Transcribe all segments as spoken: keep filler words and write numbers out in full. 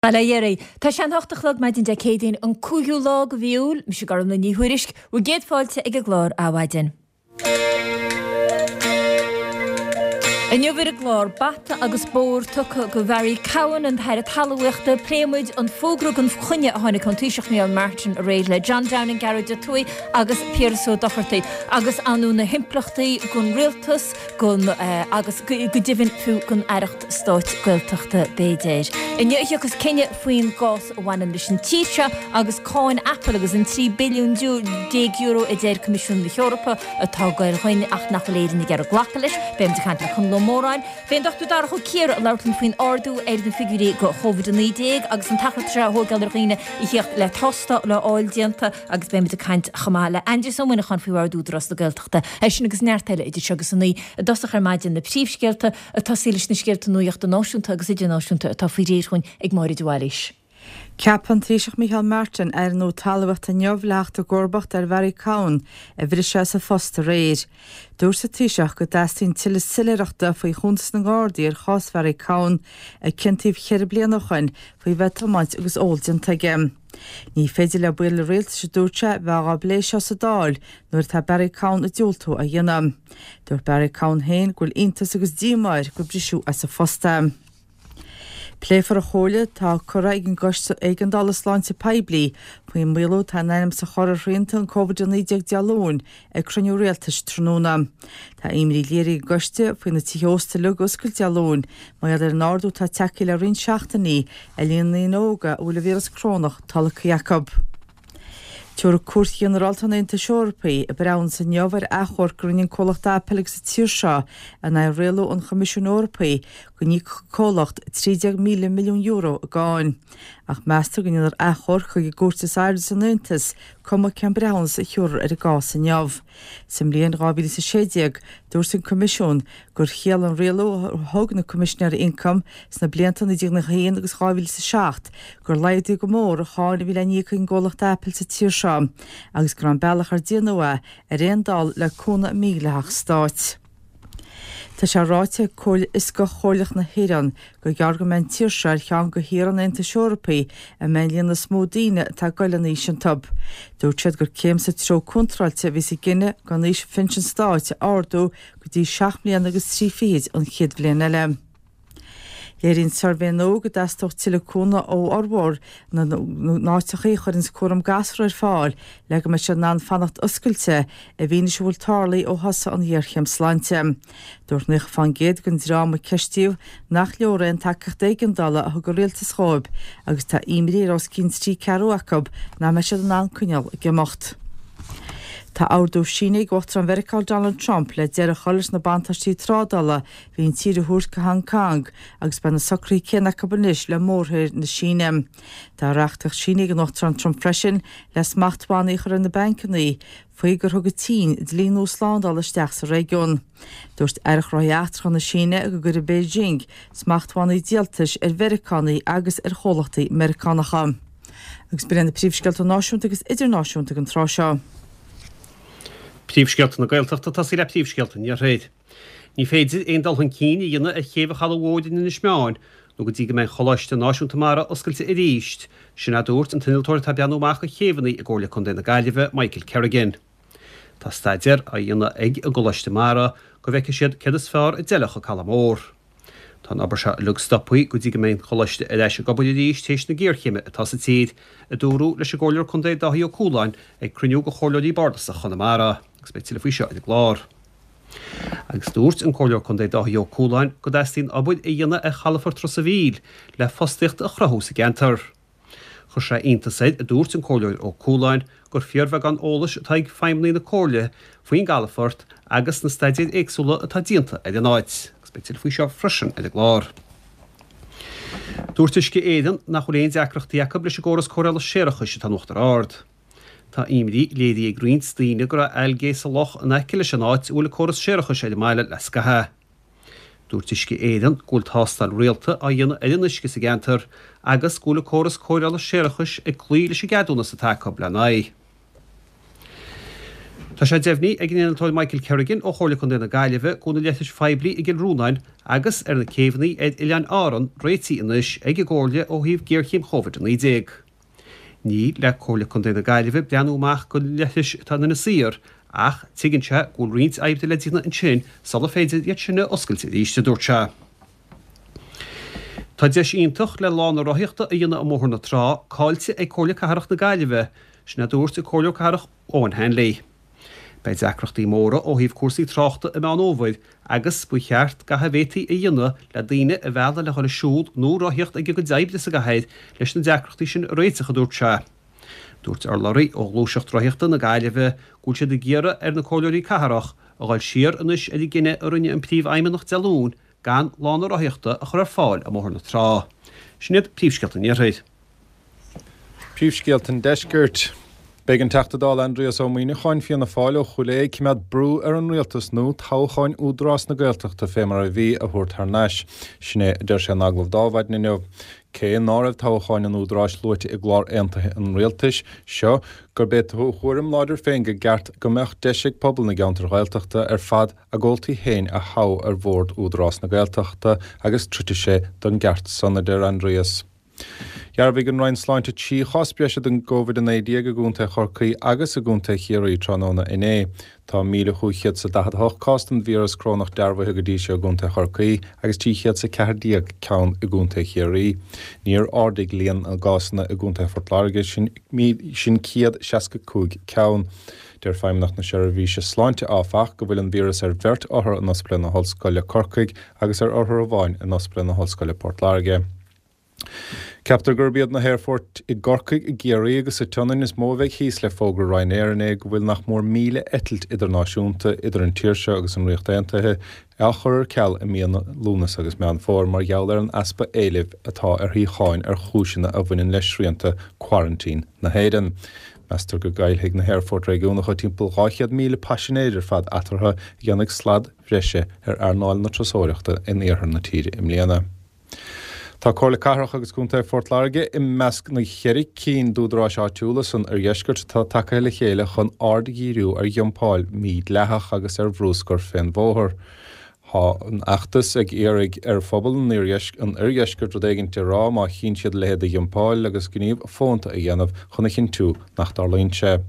Bail ó Dhia oraibh. Tá sé an hocht a chlog maidin Dé Céadaoin, an cúigiú lá de mhí Iúil. Mise Gormlaith Ní Thuairisg, bhur gcéad fáilte ag an gclár Adhmhaidin. Inniu ar an gclár, bata agus bóthar tugtha go Bharry Cowen, an tAire Talmhaíochta. Pléifidh muid an fógra gan choinne a tháinig ón Taoiseach Micheál Martin aréir le John Downing, Gearóid Ó Tuathaigh agus Piaras Ó Dochartaigh agus ar ndóigh na himpleachtaí don rialtas, gon agus go deimhin fiú don Aireacht Stáit Gaeltachta b'fhéidir. Inniu a thiocfas cinneadh faoin gcás a bhaineann leis an tír seo agus cáin Apple agus an trí billiún déag euro a deir Coimisiún na hEorpa atá ag goil chugainn ach nach bhfuil Éirinn ag iarraidh glacadh leis. Beidh muid ag caint le Conall Ó Móráin. Beidh an Dochtúir Darach Ó Ciardha ag labhairt linn faoin ardú ar na figiúirí go Covid a naoi déag agus an t-achar atá sé a thógáil ar dhaoine a theacht le tástáil a fháil déanta agus beidh muid ag caint chomh maith le Aindrias Ó Muineacháin faoi Bhord Údarás na Gaeltachta. É sin agus neart eile idir seo agus a naoi i dtosach ar maidin na príomhscéalta ag tosaí leis na scéalta nuachta náisiúnta agus idirnáisiúnta atá faoi réir dhúinn ag Máire de Bhailís. Ceapadh an Taoiseach Micheál Martin Aire nua Talmhaíochta inniu le theacht i gcomharbacht ar Bharry Cowen a briseadh as a phost aréir. Dúirt an Taoiseach go dteastaíonn tuilleadh soiléireachta faoi chuntas na nGardaí ar chás Bharry Cowen a ciontaíodh ceithre bliana ó shin faoi bheith ag tiomáint agus ól déanta aige. Ní féidir le baill an rialtais, a dúirt sé, bheith á bplé seo sa Dáil nuair atá Barry Cowen ag diúltú a dhéanamh. Dúirt Barry Cowen féin go bhfuil iontas agus díomá air gur briseadh as a phost é. Pléifear an chomhairle atá curtha ag an gCoiste Éigeandála Sláinte Poiblí faoin maolú atá in ainm is a chur ar shrianta an Covid a naoi déag Dé Luain ag cruinniú rialtais tráthnóna. Tá imní léirithe ag an gcoiste faoi na tithe ósta uilig a oscailt Dé Luain mar gheall ar an ardú atá tagtha le roinnt seachtainí ar líon na ndaoine óga a bhfuil an víreas corónach tolgtha acu. Tabharfaidh Cúirt Ghinearálta an Aontais Eorpaigh a breithiúnas inniu ar achomharc a rinne an comhlacht Apple agus an tír seo in aghaidh rialú an Choimisiúin Eorpaigh go n-íocfadh an comhlacht trí déag míle milliún euro i gcáin. Ach meastar go ndéanfar achomharc chuig an gcúirt is airde san Aontas, cuma cén breithiúnas a thiúrfar ar an gcás inniu. Sa mbliain dhá mhíle is a sé déag, dúirt an Coimisiún gur chiallaigh an rialú a thug na Coimisinéirí Ioncaim sna blianta naoi déag nócha a haon agus dhá mhíle is a seacht gur laghdaíodh go mór an cháin a bhí le n-íoc ag an gcomhlacht Apple sa tír seo agus go raibh an bealach ar déanadh é ar aon dul le cúnamh mídhleathach stáit. Tá sé ráite ag Comhairle Fhioscach Chomhairleach na hÉireann gur gearr go mbeidh an tír seo ar cheann de thíortha an Aontais Eorpaigh a mbeidh an líon is mó daoine atá ag goil in aois iontu. Dúirt siad gur céim sa treo contráilte a bhí sa gcinneadh gan aois phinsean stáit a ardú go dtí seacht mbliana agus trí fichid an chéad bhliain eile. Léiríonn suirbhé nua go dteastódh tuilleadh cúnamh ó fhormhór na n-áiteachaí a chuireanns cúram gasúr ar fáil le go mbeidh siad in ann fanacht oscailte i bhfianaise a bhfuil tarlaithe ó thosaigh an ghéarchéim sláinte. Dúirt naocha fán gcéad den dream a ceistíodh nach leor é an tacaíocht éigeandála a thug an rialtas dhóibh agus tá imní ar os cionn trí ceathrú acu nach mbeidh siad in ann coinneáil ag imeacht. Tá ordú sínithe ag Uachtarán Mheiriceá Donald Trump le deireadh a chur leis na buntáistí trádála a bhí an tír a thabhairt go Hong Kong agus beidh na socruithe céanna acu anois le mórthír na Síne. Tá reachtaíocht sínithe ag an Uachtarán Trump freisin le smachtbhannaí a chur ar na bancanna faoi gur thug an tSín dlí nua slándála isteach sa réigiún. Dúirt Aire Gnóthaí Eachtracha na Síne go gcuirfidh Beijing smachtbhannaí díoltais ar Mheiriceánaigh agus ar chomhlachtaí Meiriceánacha. Agus b'in iad na príomhscéalta náisiúnta agus idirnáisiúnta ag an tráth seo. Príomhscéalta na Gaeltachta ag tosaí le príomhscéalta an Iarthair. Ní féidir aon dul chun cinn a dhéanamh ar chéibh an Chalaidh Mhóir in Inis Meáin nó go dtí go mbeidh an Choláiste Náisiúnta Mara oscailte arís, sin a dúirt an t-innealtóir atá ag breathnú amach do chéibheanna i gComhairle Contae na Gaillimhe, Michael Kerrigan. Tá staidéar á dhéanamh ag an gColáiste Mara go bhfeicfidh siad céard is fearr a d'fheilfeadh an Caladh Mór. Tá an obair seo uilig stoptha go dtí go mbeidh an Choláiste ar ais ag obair arís théis na géarchéime atá sa tír, a dúradh leis an gComhairleoir Contae Dáithí Ó Cualáin ag cruinniú de Chomhairleoirí Bardasacha Chonamara. Agus beidh tuilleadh faoi seo ar an gclár. Agus dúirt an Comhairleoir Contae Dáithí Ó Cualáin go dteastaíonn obair a dhéanamh ar chalafort Ros a' Mhíl le fostaíocht a chruthú sa gceantar. Chuir sé iontas air, a dúirt an Comhairleoir Ó Cualáin, gur fíorbheagán eolais atá ag feidhmeannaigh na Comhairle faoin gcalafort agus na staidéir éagsúla atá déanta ar an áit. Agus beidh tuilleadh faoi seo freisin ar an gclár. Dúirt Uisce Éireann nach bhfuil aon deacrachtaí acu leis an gcóras cóireála séarachais atá in Uachtar Ard. Tá imní léirithe ag roinnt daoine go raibh algae sa loch in aice leis an áit a bhfuil an córas séarachais ar an mbaile le scaitheamh. Dúirt Uisce Éireann go bhfuil tástáil rialta á dhéanamh ar an uisce sa gceantar agus go bhfuil an córas cóireála séarachais ag cloí leis an gceadúnas atá acu lena aghaidh. Tá sé deimhnithe ag an innealtóir Michael Kerrigan ó Chomhairle Contae na Gaillimhe go bhfuil na leithris phoiblí i gCill Rónáin agus ar na céibheanna ar Oileáin Árann réitithe anois ag an gComhairle ó thaobh géarchéim Covid a naoi déag. Ní le Comhairle Contae na Gaillimhe breathnú amach do leithris atá in Inis Oírr ach tuigeann sé go bhfuil roinnt oibre le déanamh ansin sula féidir iad sin a oscailt arís, a dúirt sé. Tá deis iontach le lána rothaíochta a dhéanamh i mBóthar na Trá caillte ag Comhairle Cathrach na Gaillimhe, sin a dúirt an Comhairleoir Cathrach Eoghan Hanley. Beidh deacrachtaí móra ó thaobh cúrsaí tráchta i Meán Fhómhair agus ba cheart gach a bhféadfaí a dhéanamh le daoine a mhealladh le dhul ag siúl nó rothaíocht ag a gcuid oibre sa gcathair leis na deacrachtaí sin a réiteach, a dúirt sé. Dúirt urlabhraí ó Ghluaiseacht Rothaíochta na Gaillimhe go bhfuil siad ag iarraidh ar na comhairleoirí cathrach a dhul siar anois ar an gcinneadh a rinne an Príomhfheidhmeannach Dé Luain gan lána rothaíochta a chur ar fáil i mBóthar na Trá. Sin iad príomhscéalta an Iarthair. Príomhscéalta an Deiscirt. Beidh an Teachta Dála Aindrias Ó Muimhneacháin, Fianna Fáil ó Chúil Aodha ag coimeád brú ar an Rialtas nua toghcháin Údarás na Gaeltachta fé mar a bhí a thabhairt thar n-ais. Sin é a deir sé in agallamh d'Adhmhaidin inniu. Cé ná raibh toghcháin an Údaráis luaite i gclár aontaithe an Rialtais seo, gurb é a thuairim láidir féin go gceart go mbeadh deis ag pobal na gceantar Ghaeltachta ar fad a gcomhaltaí féin a thoghadh ar bhord Údarás na Gaeltachta agus troidfidh sé don gceart san, a deir Aindrias. Dhearbhaigh an Roinn Sláinte trí chás breise den gCovid a naoi déag i gContae Chorcaí agus i gContae Chiarraí tráthnóna inné. Tá míle chúig chéad is a daichead a hocht cás den víreas corónach dearbhaithe go dtí seo i gContae Chorcaí agus trí chéad is a ceathair déag ceann i gContae Chiarraí. Níor ardaigh líon na gcásanna i gContae Phort Láirge, sin sin céad seasca cúig ceann. Deir Feidhmeannacht na Seirbhíse Sláinte, áfach, go bhfuil an víreas ar bheirt othar in Ospidéal na hOllscoile Corcaigh agus ar othar amháin in Ospidéal na hOllscoile Port Láirge. Ceaptar gurb iad na haerfoirt i gCorcaigh, i gCiarraí agus sa tSionainn is mó a bheidh thíos le fógra Ryanair inné go bhfuil nach mór míle eitilt idirnáisiúnta idir an tír seo agus an Ríocht Aontaithe á chur ar ceal i míonna Lúnasa agus Meán Fómhair mar gheall ar an easpa éilimh atá ar shuíocháin ar chúiseanna a bhaineann le srianta quarantine na hÉireann. Meastar go gcaillfidh na haerfoirt réigiúnacha timpeall dhá chéad míle paisinéir ar fad eatarthu a dhéanfaidh slad bhreise ar earnáil na turasóireachta in iarthar na tíre i mbliana. Tá Comhairle Cathrach agus Contae Phort Láirge i measc na cheithre cinn d'údaráis áitiúla san oirdheisceart atá tagaithe le chéile chun aird a dhíriú ar dhumpáil mhídhleathach agus ar bhruscar fén bhóthar. Tá an fheachtas ag iarraidh ar phobal an oirdheiscirt rud éigin a rá má chíonn siad a leithéid de dhumpáil agus gníomh fónta a dhéanamh chun a chinntiú nach dtarlaíonn sé.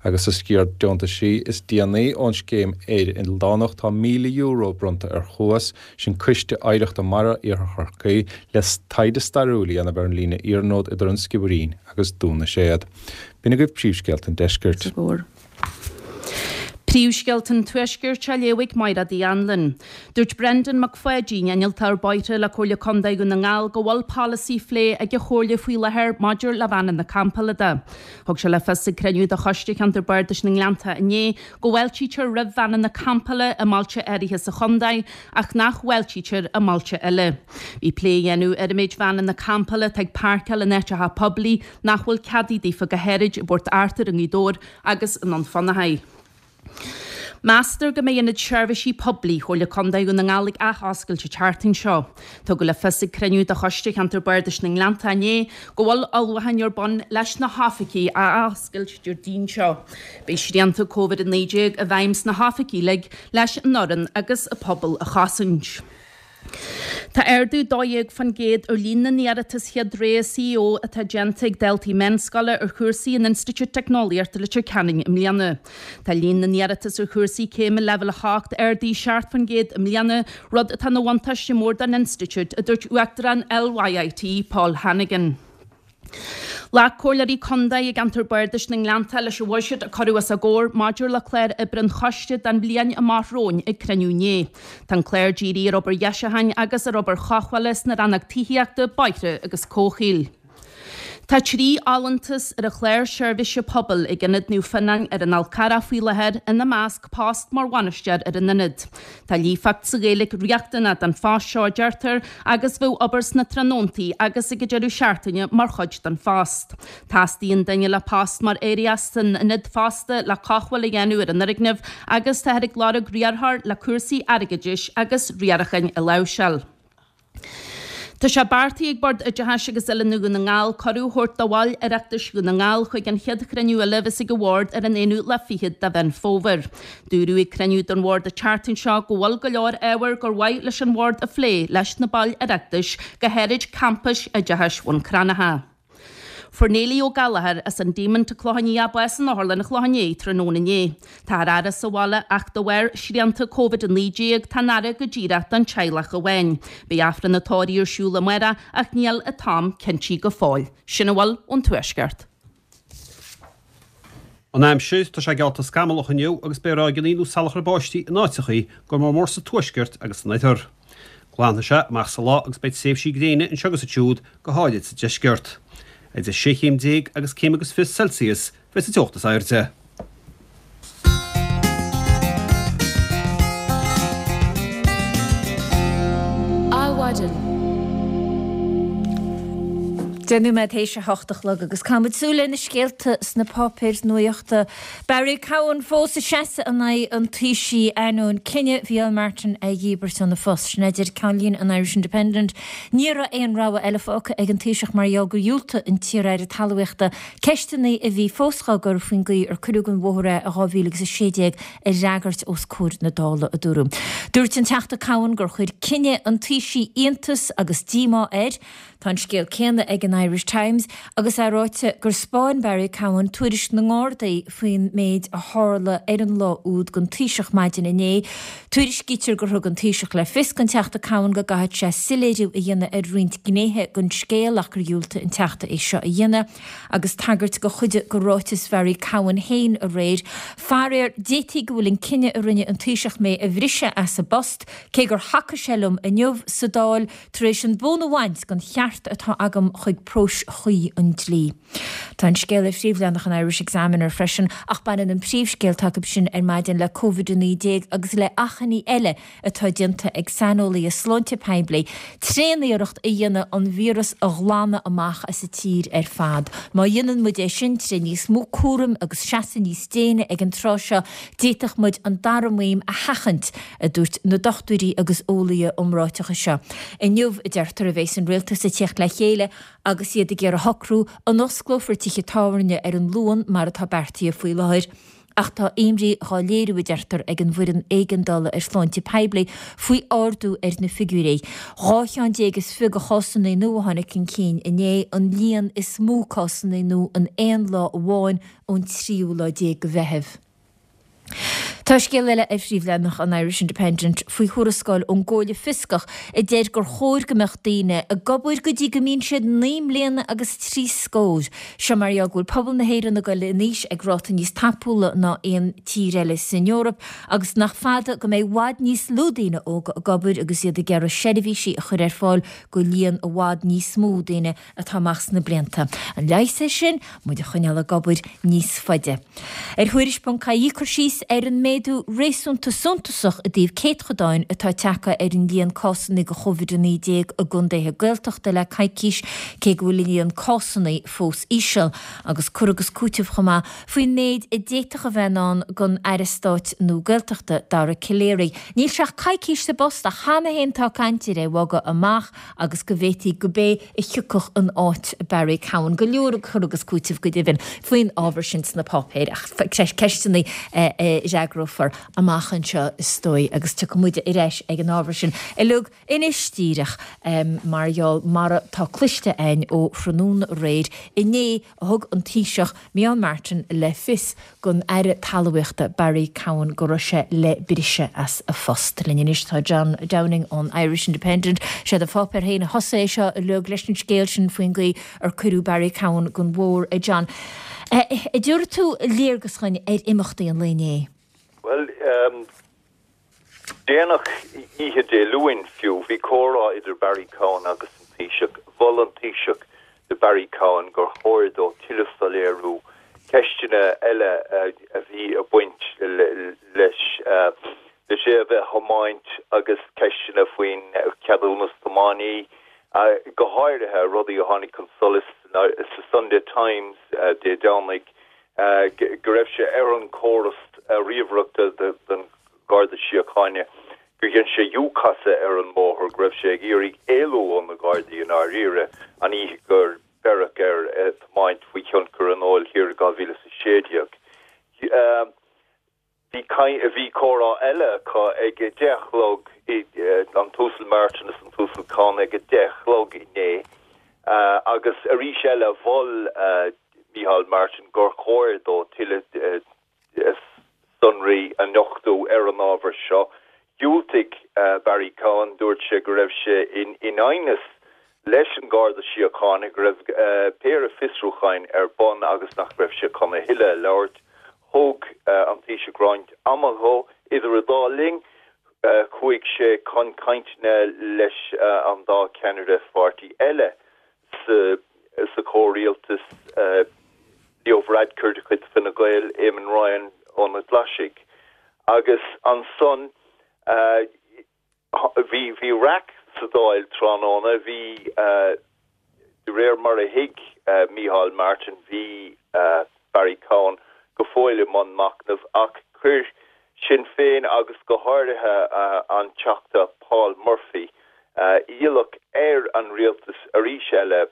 Agus sa sciar deontaisí is déanaí ón scéim Éire Ildánach tá míle euro bronnta ar Chuas, sin Coiste Oidhreachta Mara Iarthar Chorcaí, le taighde stairiúil a dhéanamh ar an líne iarnróid idir an Sciobairín agus Dún na Séad. B'in agaibh príomhscéalta an deiscirt. Príomhscéalta an Tuaiscirt á léamh ag Máire Uí Anluain. Dúirt Brendan Mac Pháidín, innealtóir bóithre le Comhairle Contae Dhún na nGall, go bhfuil polasaí á phlé ag an Chomhairle faoi láthair maidir le veaineanna campála de. Thug sé le fios ag cruinniú de Choiste Cheantar Bardais na nGleannta inné go bhfáiltítear roimh veaineanna campála i mbailte áirithe sa chontae ach nach bhfáiltítear i mbailte eile. Bhí plé á dhéanamh ar an méid veaineanna campála atá ag páirceáil in áiteacha poiblí nach bhfuil ceadaithe daofa go háirid i bPort Arthur i nGaoth Dobhair agus i nDún Fionnachaidh. Meastar go mbeidh Ionad Seirbhísí Poiblí Chomhairle Contae Dhún na nGall ag athoscailt an tseachtain seo. Tugadh le fios ag cruinniú de Choiste Cheantar Bardais na nGleannta inné go bhfuil ullmhúcháin ar bun leis na hoifigí a athoscailt Déardaoin seo. Beidh srianta Covid a naoi déag i bhfeidhm sna hoifigí uilig leis an fhoireann agus an pobal a chosaint. Tá ardú dó dhéag faoin gcéad ar líon na n-iarratas chéad rogha C O atá déanta ag daltaí meánscoile ar chúrsaí in Institiúid Teicneolaíochta Leitir Ceanainn i mbliana. Tá líon na n-iarratas ar chúrsaí céime leibhéal a hocht ardaithe seacht faoin gcéad i mbliana, rud atá ina bhuntáiste mór don institiúid, a dúirt Uachtarán L Y I T, Paul Hannigan. Ghlac Comhairleoirí Contae i gceantar Bardais na nGleannta leis an bhuiséad a cuireadh os a gcomhair maidir le clár oibre an choiste don bhliain amach romhainn ag cruinniú inné. Tá an clár dírithe ar obair dheisiúcháin agus ar obair chothabhála sna rannóga tithíochta, bóithre agus comhshaoil. Tá trí fholúntas ar an chlár seirbhíse pobail ag Ionad Naomh Fionnáin ar an Fhál Carrach faoi láthair, ina measc post mar bhainisteoir ar an ionad. Tá líofacht sa Ghaeilge riachtanach don phost seo, a deirtear, agus bheadh obair sna tráthnóntaí agus ag an deireadh seachtaine mar chuid den phost. Teastaíonn duine le post mar aireach san ionad fosta le cothabháil a dhéanamh ar an fhoirgneamh agus táthar ag lorg riarthóir le cúrsaí airgeadais agus riaracháin a láimhseáil. Tá sé beartaithe ag Bord Oideachais agus Oiliúna Dhún na nGall cuireadh a thabhairt do bhaill Oireachtais Dhún na nGall chuig an chéad chruinniú eile a bheas ag an Bhord ar an aonú lá fichead de Mheán Fómhair. Dúradh ag cruinniú den Bhord an tseachtain seo go bhfuil go leor ábhar gur mhaith leis an Bhord a phlé leis na baill Oireachtais, go háirid campais oideachais Bhun Cranncha. Fuair Neilí Ó Gallchóir as an Díomant Clochán Liath bás in Otharlann an Chlocháin Léith tráthnóna inné. Tá a fhaire sa bhaile ach de bharr srianta Covid a naoi déag tá an fhaire go díreach don teaghlach amháin. Beidh Aifreann an tórraimh ar siúl amárach ach níl an t-am cinntithe go fóill. Sin a bhfuil ón Tuaisceart. An aimsir, tá sé geallta scamallach inniu agus beidh ráigeanna nó salachar báistí in áiteachaí, go mór mór sa tuaisceart agus san oirthear. Glanfaidh sé amach sa lá agus beidh tréimhsí gréine anseo agus ansiúd, go háirid sa deisceart. Idir sé chéim déag agus céim agus fiche Celsius a bheidh sa teocht is airde. Adhmhaidin. Deich nóiméad théis a hocht a chlog agus caithfimid súil ar na scéalta sna páipéir nuachta. Barry Cowen fós ag seasamh in aghaidh an Taoisigh ainneoin cinneadh Mhicheál Martin a dhíbirt óna phost. Sin a deir ceannlíne an Irish Independent. Ní raibh aon rogha eile fágtha ag an Taoiseach mar gheall gur dhiúltaigh an t-iar-aire talmhaíochta ceisteanna a bhí fós dhá gcur faoin gcaoi ar cuireadh den bhóthar é i dhá mhíle agus a sé déag a fhreagairt os comhair na Dála, a dúradh. Dúirt an Teachta Cowen gur chuir cinneadh an Taoisigh iontas agus díomá air. Tá an scéal céanna ag an Irish Times agus é ráite gur 'spáin Barry Cowen tuairisc na nGardaí faoin méid a tharla ar an lá úd don Taoiseach maidin inné. Tuairiscítear gur thug an Taoiseach le fios don Teachta Cowen go gcaithfeadh sé soiléiriú a dhéanamh ar roinnt gnéithe den scéal ach gur dhiúltaigh an Teachta é seo a dhéanamh agus tagairt do chuid de ráiteas Bharry Cowen féin aréir. Faraor, d'fhéadfaí go bhfuil an cinneadh a rinne an Taoiseach mé a bhriseadh as an bpost, cé gur thacaigh sé liom inniu sa Dáil, tar éis an bonn a bhaint den cheart atá agam chuig próis chuí an dlí. Tá an scéal ar phríomhleathanach an Irish Examiner freisin, ach baineann an príomhscéal atá acu sin ar maidin le Covid a naoi déag agus le achainí eile atá déanta ag saineolaithe sláinte poiblí tréaniarracht a dhéanamh an víreas a ghlanadh amach as an tír ar fad. Má dhéanann muid é sin tré níos mó cúraim agus seasamh níos déine ag an tráth seo, d'fhéadfadh muid an dara maidhm a sheachaint, a dúirt na dochtúirí agus eolaithe iomráiteacha seo. Inniu, a deirtear, a bheas an rialtas ag teacht le chéile agus iad ag iarraidh a shocrú an osclófar tithe tábhairne ar an Luan mar atá beartaithe faoi láthair. Ach tá imní dhá léiriú, a deirtear, ag an bhfoireann éigeandála ar shláinte poiblí faoi ardú ar na figiúirí. Dhá cheann déag is fiche de chásanna nua a tháinig chun cinn inné, an líon is mó cásanna nua in aon lá amháin ón tríú lá déag de Mheitheamh. Tá scéal eile ar phríomhleathanach an Irish Independent faoi thuarascáil ón gComhairle Fioscach a deir gur chóir go mbeadh daoine ag obair go dtí go mbíonn siad naoi mbliana agus trí scór. Seo mar gheall go bhfuil pobal na hÉireann ag dul in aois ag ráta níos tapúla ná aon tír eile san Eoraip agus nach fada go mbeidh i bhfad níos lú daoine óga ag obair agus iad ag iarraidh seirbhísí a chur ar fáil go líon i bhfad níos mó daoine atá amach sna blianta. An leigheas air sin? Muid a choinneáil ag obair níos faide. Ar Thuairisc ponc ie cur síos ar an méadú réasúnta suntasach i dtaobh céadchodáin atá tagtha ar an líon cásanna de Covid a naoi déag i gcontaetha Gaeltachta le coicís, cé go bhfuil an líon cásanna fós íseal, agus cur agus cúiteamh chomh maith faoin méid a d'fhéadfadh a bheith i ndán don Aire Stáit nua Gaeltachta, Dara Calleary. Níl sé ach coicís sa bpost ach cheana féin tá caint ar é a bhogadh amach agus go bhféadfaí go b'é a thiocfadh in áit Barry Cowen. Go leor cur agus cúiteamh go deimhin faoin ábhar sin sna páipéir ach ceisteanna a fhreagrófar amach anseo is dóigh agus tiocfaidh muid ar ais ag an ábhar sin uilig anois díreach mar gheall mar atá cloiste againn ó thráthnóna aréir inné a thug an Taoiseach Micheál Martin le fios don Aire Talmhaíochta Barry Cowen go raibh sé le briseadh as a phost. Linn anois tá John Downing ón Irish Independent. Sé do pháipéar féin a thosaigh é seo uilig leis an scéal sin faoin gcaoi ar cuireadh Barry Cowen den bhóthar, a John. An dtabharfaidh tú léargas dhúinn ar imeachtaí an lae inné? Bhuel, déanach oíche Dé Luain fiú, bhí comhrá idir Barry Cowen agus an Taoiseach. Mhol an Taoiseach do Barry Cowen gur chóir dó tuilleadh soiléiriú, ceisteanna eile a bhí ag baint leis leis é a bheith á thiomáint agus ceisteanna faoin cheadúnas tiománaí, go háirithe rudaí a tháinig chun solais sa Sunday Times Dé Domhnaigh go raibh sé ar an chóras ríomhaireachta den Gharda Síochána gur dhein sé U-chasadh ar an mbóthar, go raibh sé ag iarraidh éalú ó na Gardaí i ndáiríre an oíche gur beireadh air ag tiomáint faoi thionchar an óil thiar i dhá mhíle is a sé déag. Bhí bhí comhrá eile acu ag a deich a chlog, an tUasal Martin is an tUasal Cowen ag a deich a chlog inné agus arís eile mhol Micheál Martin gur chóir dó tuilleadh sonraí a nochtadh ar an ábhar seo. Dhiúltaigh Barry Cowen, dúirt sé go raibh sé in aighneas leis an Gharda Síochána, go raibh péire fiosrúcháin ar bun agus nach raibh sé chun a thuilleadh a labhairt. Thóg an Taoiseach roinnt ama dhó. Idir an dá linn, chuaigh sé chun cainteanna leis an dá cheannaire pháirtí eile sa chomhrialtas, Leo Varadkar de chuid Fine Gael, Eamon Ryan ó na Glaisigh. Agus ansan bhí bhí raic sa Dáil tráthnóna, bhí, de réir mar a thuig Micheál Martin, bhí Barry Cowen go fóill i mbun machnaimh ach chuir Sinn Féin agus go háirithe an Teachta Paul Murphy iallach ar an rialtas arís eile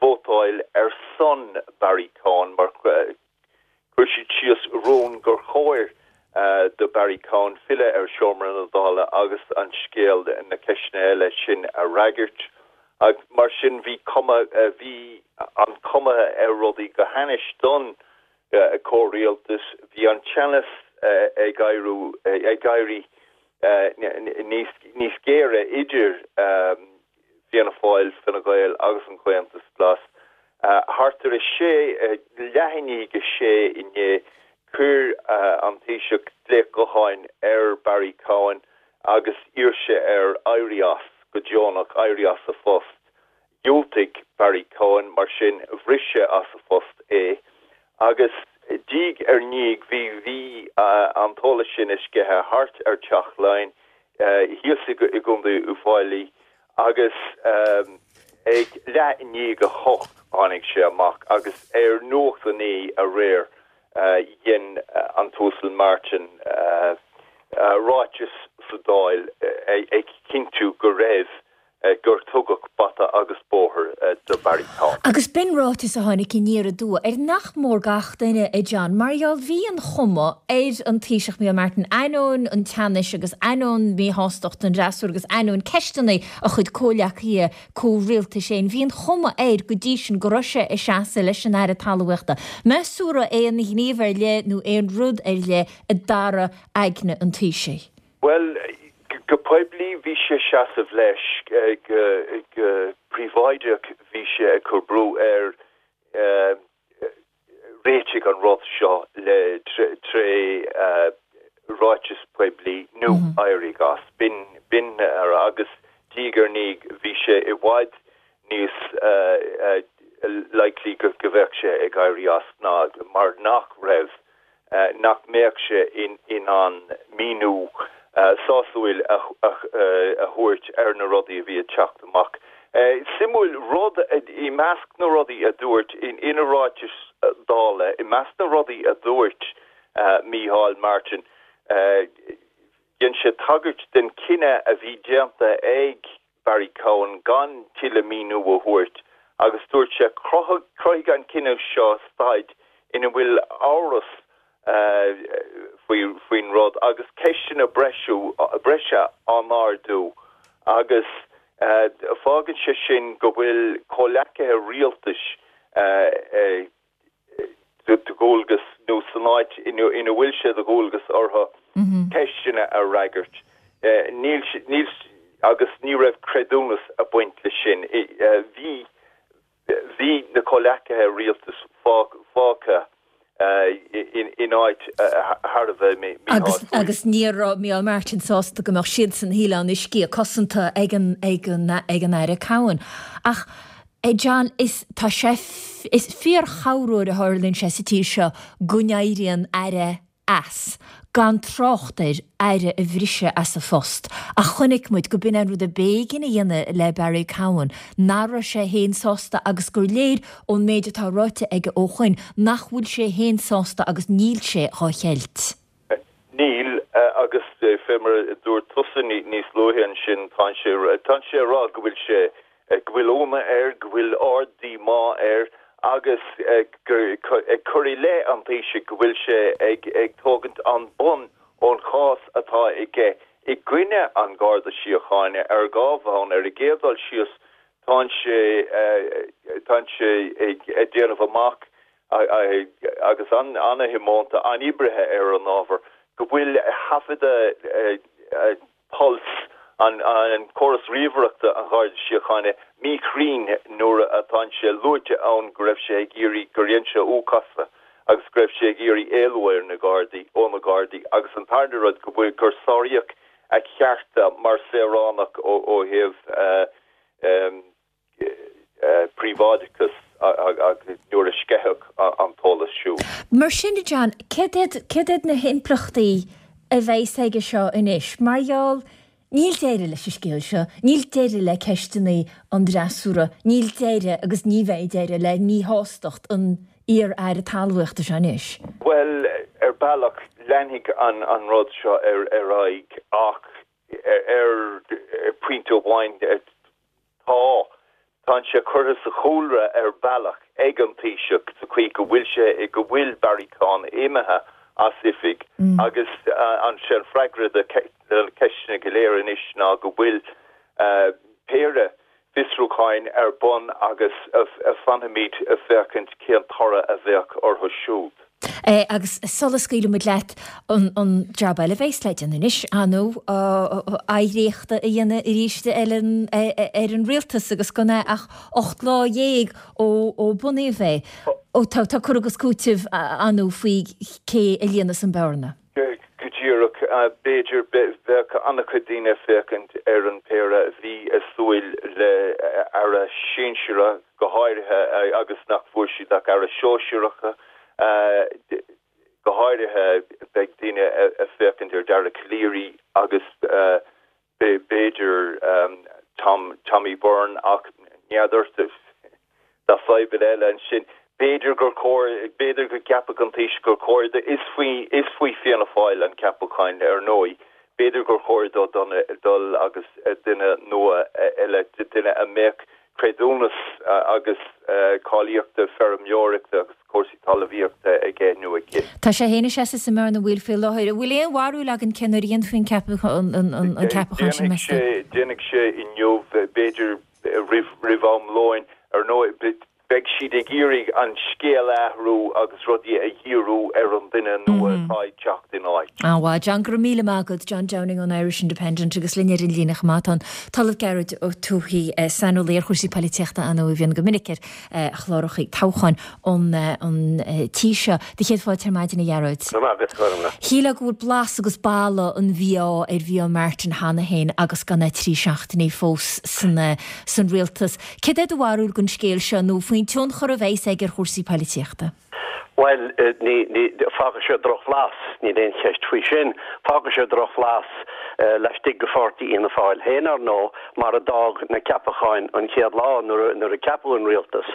vótáil ar son Barry Cowen mar chuir siad síos rún gur chóir do Barry Cowen filleadh ar Sheomra na Dála agus an scéal, na ceisteanna eile sin a fhreagairt. Mar sin bhí cuma, bhí an chuma ar rudaí go hainnis don chomhrialtas, bhí an teannas ag éiriú, ag éirí níos géire idir Fianna Fáil, Fine Gael agus an Comhaontas Glas. Thart ar a sé, leath i ndiaidh a sé inné, chuir an Taoiseach glaoch gutháin ar Barry Cowen agus d'iarr sé air éirí as go deonach, éirí as a phost. Dhiúltaigh Barry Cowen, mar sin bhris sé as a phost é. Agus diaidh ar ndiaidh bhí bhí an t-eolas sin ag sceitheadh thart ar Teach Laighean thíos i gContae Uíbh Fhailí agus ag leath i ndiaidh a hocht tháinig sé amach agus ar Nuacht a Naoi aréir dhein an tUasal Martin ráiteas sa Dáil ag cinntiú go raibh gur tugadh bata agus bóthar do Barry Cowen. Agus b'in ráiteas a tháinig aniar aduaidh ar nach mór gach duine, a John, mar gheall bhí an chuma ar an Taoiseach Micheál Martin, ainneoin an teannais agus ainneoin míshástacht an fhreasúra agus ainneoin ceisteanna a chuid comhleacaithe comhrialtais féin, bhí an chuma air go dtí sin go raibh sé ag seasamh leis an Aire Talmhaíochta. Meas tú an raibh aon ghníomh ar leith nó aon rud ar leith a d'athraigh aigne an Taoisigh? Bhuel, go poiblí bhí sé ag seasamh leis, go príobháideach bhí sé ag cur brú air réitigh an rud seo le tré ráiteas poiblí nó éirigh as. B'in, b'in agus diaidh ar ndiaidh bhí sé i bhfad níos likely go bheadh sé ag éirí as ná mar nach raibh nach mbeadh sé in ann míniú sásúil a thabhairt ar na rudaí a bhí ag teacht amach. Suimiúil rud, i measc na rudaí a dúirt ina ráiteas Dála, i measc na rudaí a dúirt Micheál Martin, dhein sé tagairt den chinneadh a bhí déanta ag Barry Cowen gan tuilleadh míniú a thabhairt agus dúirt sé, Chruthaigh an cinneadh seo staid ina bhfuil amhras faoin rud agus ceisteanna breise á n-ardú agus fágann sé sin go bhfuil comhleacaithe rialtais de dhualgas nó san áit ina bhfuil sé de dhualgas orthu ceisteanna a fhreagairt. Níl, níl, agus ní raibh creidiúnas ag baint leis sin. Bhí, bhí na comhleacaithe rialtais fágtha in áit thar a bheith míshásúil. Agus ní raibh Micheál Martin sásta go mbeadh siadsan, shílfeá, ina sciath cosanta ag an, ag an, ag an Aire Cowen. Ach, a John, is, tá sé, is fíor-chorruair a tharlaíonn sé sa tír seo go n-éiríonn Aire as, gan trácht ar Aire a bhriseadh as a phost. Ach chonaic muid go b'in an rud a b'éigean a dhéanamh le Barry Cowen, nach raibh sé féin sásta agus gur léir ón méid atá ráite aige ó shoin nach bhfuil sé féin sásta agus níl sé dhá cheilt. Níl, agus fé mar a dúirt tusa níos luaithe ansin, tá sé tá sé ag rá go bhfuil sé go bhfuil ionadh air, go bhfuil ard-díomá air agus ag cur i leith an Taoisigh go bhfuil sé ag ag tógaint an bonn ón chás atá aige i gcoinne an Gharda Síochána ar dhá bhonn. Ar an gcéad dul síos, tá sé tá sé ag déanamh amach agus an-thiomanta, an-oibrithe ar an ábhar, go bhfuil taifeadadh Pulse, an córas ríomhaireachta an Gharda Síochána, míchruinn nuair atá sé luaite ann go raibh sé ag iarraidh, gur dhein sé U-chasadh agus go raibh sé ag iarraidh éalú ar na Gardaí, ó na Gardaí agus an tarna rud go bhfuil, gur sáraíodh a chearta mar saoránach ó thaobh príobháideachas nuair a sceitheadh an t-eolas siúd. Mar sin de John, céard iad na himpleachtaí a bheas aige seo anois? Mar gheall, níl deireadh leis an scéal seo, níl deireadh le ceisteanna an fhreasúra, níl deireadh agus ní bheidh deireadh le míshástacht an iar-aire talmhaíochta seo anois. Bhuel, ar bealach, leanfaidh an rud seo ar aghaidh ach ar phointe amháin tá tá sé curtha sa chúlra ar bealach ag an Taoiseach sa chaoi go bhfuil sé go bhfuil Barry Cowen imithe as oifig agus an sé an freagra do na ceisteanna go léir anois ná go bhfuil péire fiosrúcháin ar bun agus fanfaimid ag féachaint cén toradh a bheadh orthu siúd. Agus sula scaoilfidh muid leat, an jab eile a bheas le déanamh anois, ar ndóigh, oidhreachta a dhéanamh arís eile ar an rialtas agus gan é ach ocht lá dhéag ó bunaíodh é. Tá cur agus cúiteamh ar ndóigh faoi cé a líonfas an bhearna. Go díreach. B'fhéidir, bheadh an-chuid daoine ag féachaint ar an péire a bhí ag súil le aire sinsearach go háirithe agus nach bhfuair siad ach aire sóisearach. Go háirithe beidh daoine ag féachaint ar Dara Calleary agus b'fhéidir Tom, Tommy Byrne ach n'fheadar, tá fadhbanna eile ansin. B'fhéidir gur chóir, b'fhéidir go gceapfadh an Taoiseach gur chóir dó, is faoi, is faoi Fianna Fáil an ceapachán ar ndóigh, b'fhéidir gur chóir dó dul agus duine nua eile, duine a mbeadh creidiúnas agus cáilíochta feirmeoireachta agus cúrsaí talmhaíochta aige nó aici. Tá sé féin ag seasamh sa mbearna bhaoil faoi láthair. An bhfuil aon bharúil againn cén uair a dhéanfaí an ceapachán sin, meas tú? Déanfaidh sé inniu, b'fhéidir roimh am lóin. Ar ndóigh, beidh siad ag iarraidh an scéal a athrú agus rudaí a dhíriú ar an duine nua atá ag teacht ina áit. An-mhaith, John. Go raibh míle maith agat, John Downing ón Irish Independent agus linn ar an líne chomh maith tá an tOllamh Gearóid Ó Tuathaigh, saineolaí ar chúrsaí poilitíochta ar ndóigh a bhíonn go minic ar chláracha toghcháin an tí seo. Do chéad fáilte ar maidin, a Ghearóid. Go raibh maith agat, Gormlaith. Shílfeá go bhfuil blas agus boladh an mhí-ádh ar Mhícheál Martin cheana féin agus gan é trí seachtainí fós san rialtas. Céard é do bharúil den scéal seo nó faoin tionchar a bheas aige ar chúrsaí poilitíochta? Bhuel, ní, ní, fágfaidh sé drochbhlas, níl aon cheist faoi sin. Fágfaidh sé drochbhlas laistigh de pháirtí Fhianna Fáil féin, ar ndóigh, mar a d'fhág na ceapacháin an chéad lá nuair a, nuair a ceapadh an rialtas.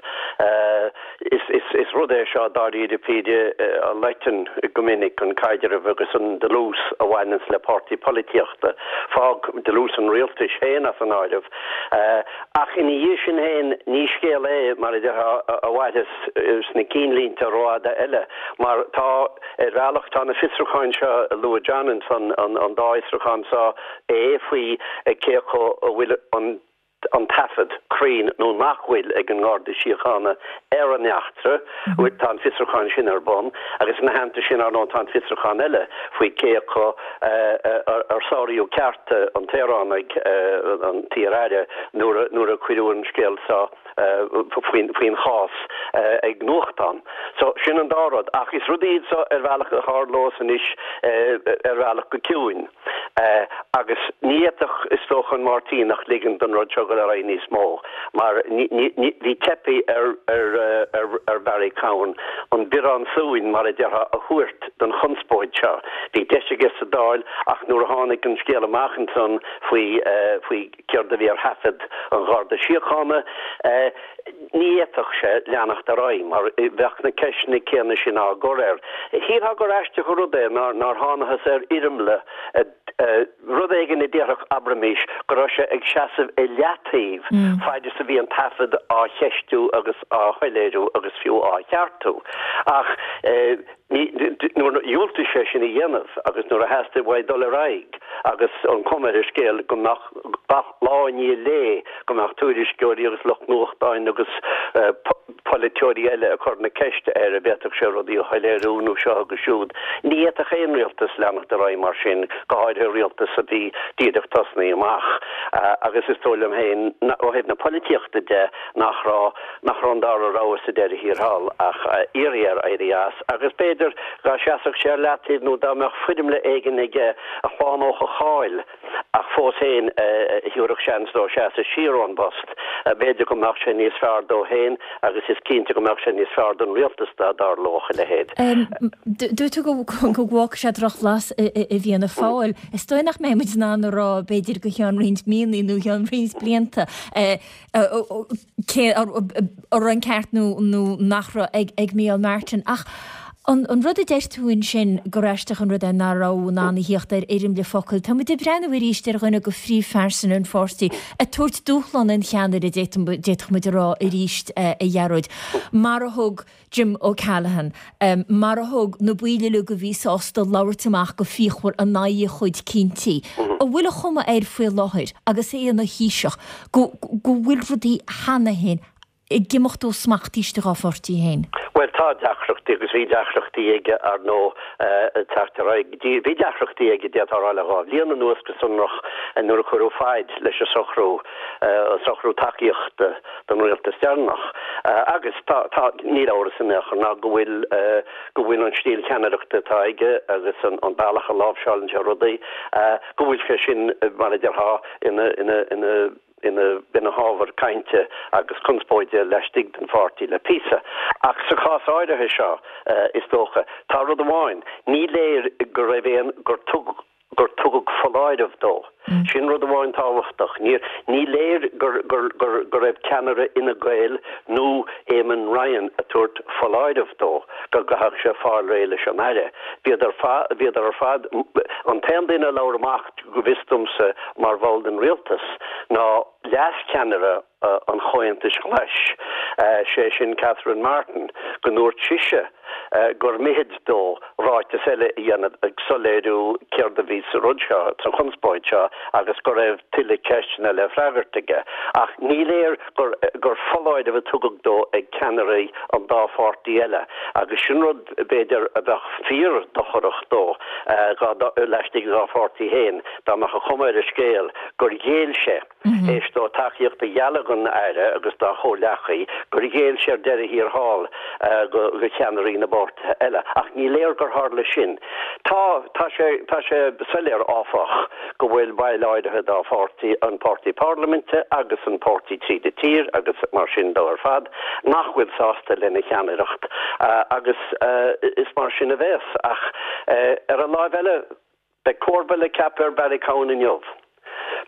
Is, is, is rud é seo dáiríre píre a loiteann go minic an caidreamh agus an dlús a bhaineanns le páirtí polaitíochta. Fág dlús an rialtais féin as an áireamh. Ach ina dhiaidh sin féin, ní scéal é, mar a déarfá, a mhairfeas sna cinnlínte rófhada eile, mar tá, ar bhealach, tá na fiosrúcháin seo a luaigh John ansan, an dá fhiosrúchán seo, é faoi cé acu a bhfuil an an taifead cruinn nó nach bhfuil ag an nGarda Síochána ar an eachtra, tá an fiosrúchán sin ar bun, agus ina theannta sin, ar ndóigh, tá an fiosrúchán eile faoi cé acu ar sáraíodh cearta an tsaoránaigh, an t-iar-aire, nuair a cuireadh an scéal seo faoin chás ag nuachtán. So, sin an dá rud. Ach is rudaí iad seo ar bhealach a tharlós anois ar bhealach go ciúin. Agus ní fhéadfadh, is dócha, an Máirtíneach ligean don rud seo dul ar aghaidh níos mó, mar bhí teipthe ar ar Barry Cowen an biorán suain, mar a déarfá, a thabhairt don chonspóid seo. Bhí deis aige sa Dáil ach nuair a tháinig an scéal amach ansan faoi faoi céard a bhí ar thaifead an Gharda Síochána, Ní fhéadfadh sé leanacht ar aghaidh mar bheadh na ceisteanna céanna sin á gcur air. Shílfeá gur aisteach an rud é nár thánathas ar fhoirmle a Rud éigin a déarfadh, abraimis, go raibh sé ag seasamh i leataobh faid is a bhí an taifead á cheistiú agus á shoiléiriú agus fiú á cheartú. Ach nuair a dhiúltaigh sé sin a dhéanamh agus nuair a theastaigh uaidh dul ar aghaidh agus an chuma ar an scéal go mbeadh gach lá i ndiaidh lae go mbeadh tuairisceoirí agus lucht nuachtáin agus polaiteoirí eile ag cur na ceiste air an bhféadfadh sé rudaí a shoiléiriú nó seo agus siúd. Ní fhéadfadh aon rialtas leanacht ar aghaidh mar sin, go háirithe rialtas a bhí díreach tosnaithe amach. Agus is dóigh liom féin, ó thaobh na polaitíochta de, nach raibh nach raibh an dara rogha sa deireadh thiar thall ach iarraidh air éirí as. Agus b'fhéidir dá seasfadh sé ar leataobh nó dá mbeadh foirmle éigin aige a shlánódh a cháil, ach fós féin a thabharfadh seans dó seasamh siar ón bpost, b'fhéidir go mbeadh sé níos fearr dó féin agus is cinnte go mbeadh sé níos fearr don rialtas dá dtarlódh a leithéid. Dúirt tú go bhfágfaidh sé drochbhlas i bhFianna Fáil. Is dóigh nach mbeidh muid in ann a rá, b'fhéidir, go ceann roinnt míonna nó ceann roinnt blianta cé an raibh an ceart nó nach raibh ag Micheál Martin. Ach an rud a deir tú ansin, gur aisteach an rud é nach raibh in ann a thíocht ar fhoirmle focal, tá muid ag breathnú arís ar dhuine de phríomhphearsana an pháirtí ag tabhairt dúshlán an cheannaire, d'fhéadfadh muid a rá arís, a Ghearóid, mar a thug Jim O'Callaghan, mar a thug na baill uilig a bhí sásta labhairt amach go fíochmhar in aghaidh a chuid cinntí. An bhfuil an chuma air faoi láthair, agus é ina Thaoiseach, go bhfuil rudaí cheana féin ag imeacht ó smacht istigh dá pháirtí féin? Bhuel, tá deacrachtaí agus bhí deacrachtaí aige, ar ndóigh, ag teacht ar aghaidh. Bhí deacrachtaí aige, d'fhéadfá a rá, le dhá bhliain anuas go sonrach nuair a cuireadh faid leis an socrú, an socrú tacaíochta don rialtas deireanach. Agus tá, tá, níl amhras in aon chor ná go bhfuil, go bhfuil an stíl cheannaireachta atá aige agus an bealach a láimhseálann sé rudaí, go bhfuil sé sin, mar a déarfá, ina, ina, ina, ina hábhar cainte agus conspóide laistigh den pháirtí le píosa. Ach sa chás áirithe seo, is dócha, tá rud amháin, ní léir go raibh aon, gur tugadh, gur tugadh foláireamh dó. Sin rud amháin tábhachtach. Ní, ní léir gur, gur, gur, go raibh ceannaire Fhine Gael nó Eamon Ryan ag tabhairt foláireamh dó go gcaithfeadh sé fáil réidh leis an Aire. Bhíodar, bhíodar ar fad, an t-aon duine a labhair amach, go bhfios domsa, mar bhall den rialtas, ná leascheannaire an Chomhaontais Ghlais, sé sin Catherine Martin, go ndúirt sise gur mithid dó ráiteas eile a dhéanamh ag soiléiriú céard a bhí sa rud seo, sa chonspóid seo, agus go raibh tuilleadh ceisteanna le freagairt aige. Ach ní léir gur gur foláireamh a tugadh dó ag ceannairí an dá pháirtí eile, agus sin rud, b'fhéidir, a bheadh fíor-dhochrach dó laistigh dá pháirtí féin, dá mbeadh an chuma ar an scéal gur ghéill sé, théis dó tacaíocht a ghealladh don Aire agus dá chomhghleacaí, gur ghéill sé ar deireadh thiar thall do cheannairí na bpáirtithe eile. Ach ní léir gur tharla sin. Tá, tá sé, tá sé soiléir, áfach, go bhfuil baill áirithe dá pháirtí, an páirtí parlaiminte agus an páirtí tríd an tír agus mar sin dó ar fad, nach bhfuil sásta lena cheannaireacht agus is mar sin a bheas. Ach ar an láimh eile, beidh comharba le ceapadh ar Barry Cowen inniu.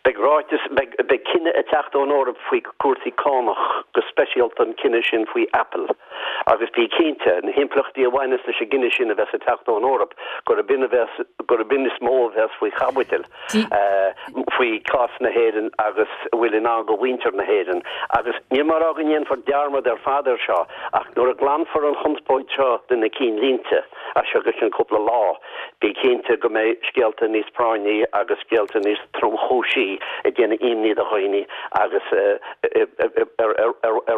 Beidh ráiteas, beidh, beidh cinneadh ag teacht ón Eoraip faoi chúrsaí cánach, go speisialta an cinneadh sin faoi Apple. Agus bí cinnte, na himpleachtaí a bhaineas leis an gcinneadh sin a bheas ag teacht ón Eoraip, gurb in a bheas, gurb in is mó a bheas faoi chaibidil faoi chás na hÉireann agus a bhfuil i ndán do mhuintir na hÉireann. Agus níl mé ag rá go ndéanfar dearmad ar fad air seo, ach nuair a ghlanfar an chonspóid seo de na cinnlínte, as seo go ceann cúpla lá, bí cinnte go mbeidh scéalta níos práinní agus scéalta níos tromchúisí ag déanamh imní do dhaoine agus ar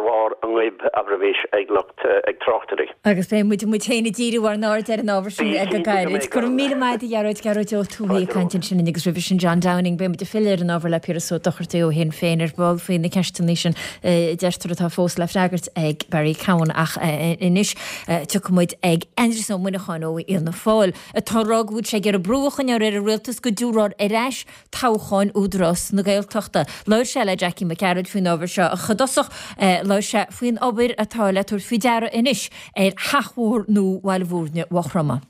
bharr a ngoib, abraimis, ag lucht ag tráchtairí. Agus beidh muid muid féin ag díriú ár n-aird ar an ábhar sin go gairid. Go raibh míle maith agat, a Ghearóid, Gearóid Ó Tuathaigh ag caint ansin agus roimhe sin John Downing. Beidh muid ag filleadh ar an ábhar le Piaras Ó Dochartaigh ó Shinn Féin ar ball faoi na ceisteanna sin a deirtear atá fós le freagairt ag Barry Cowen ach anois tiocfaidh muid ag Aindrias Ó Muineacháin ó Fhianna Fáil atá ag rá go bhfuil sé ag iarraidh brú a choinneáil ar an rialtas go dtabharfar ar ais toghcháin Údarás na Gaeltachta. Labhair sé le Jackie Mac Gearailt faoin ábhar seo ach i dtosach labhair sé faoin obair atá le tabhairt faoi deara anois ar theach mhór nua Bhaile Bhúirne Mhaigh Chromtha.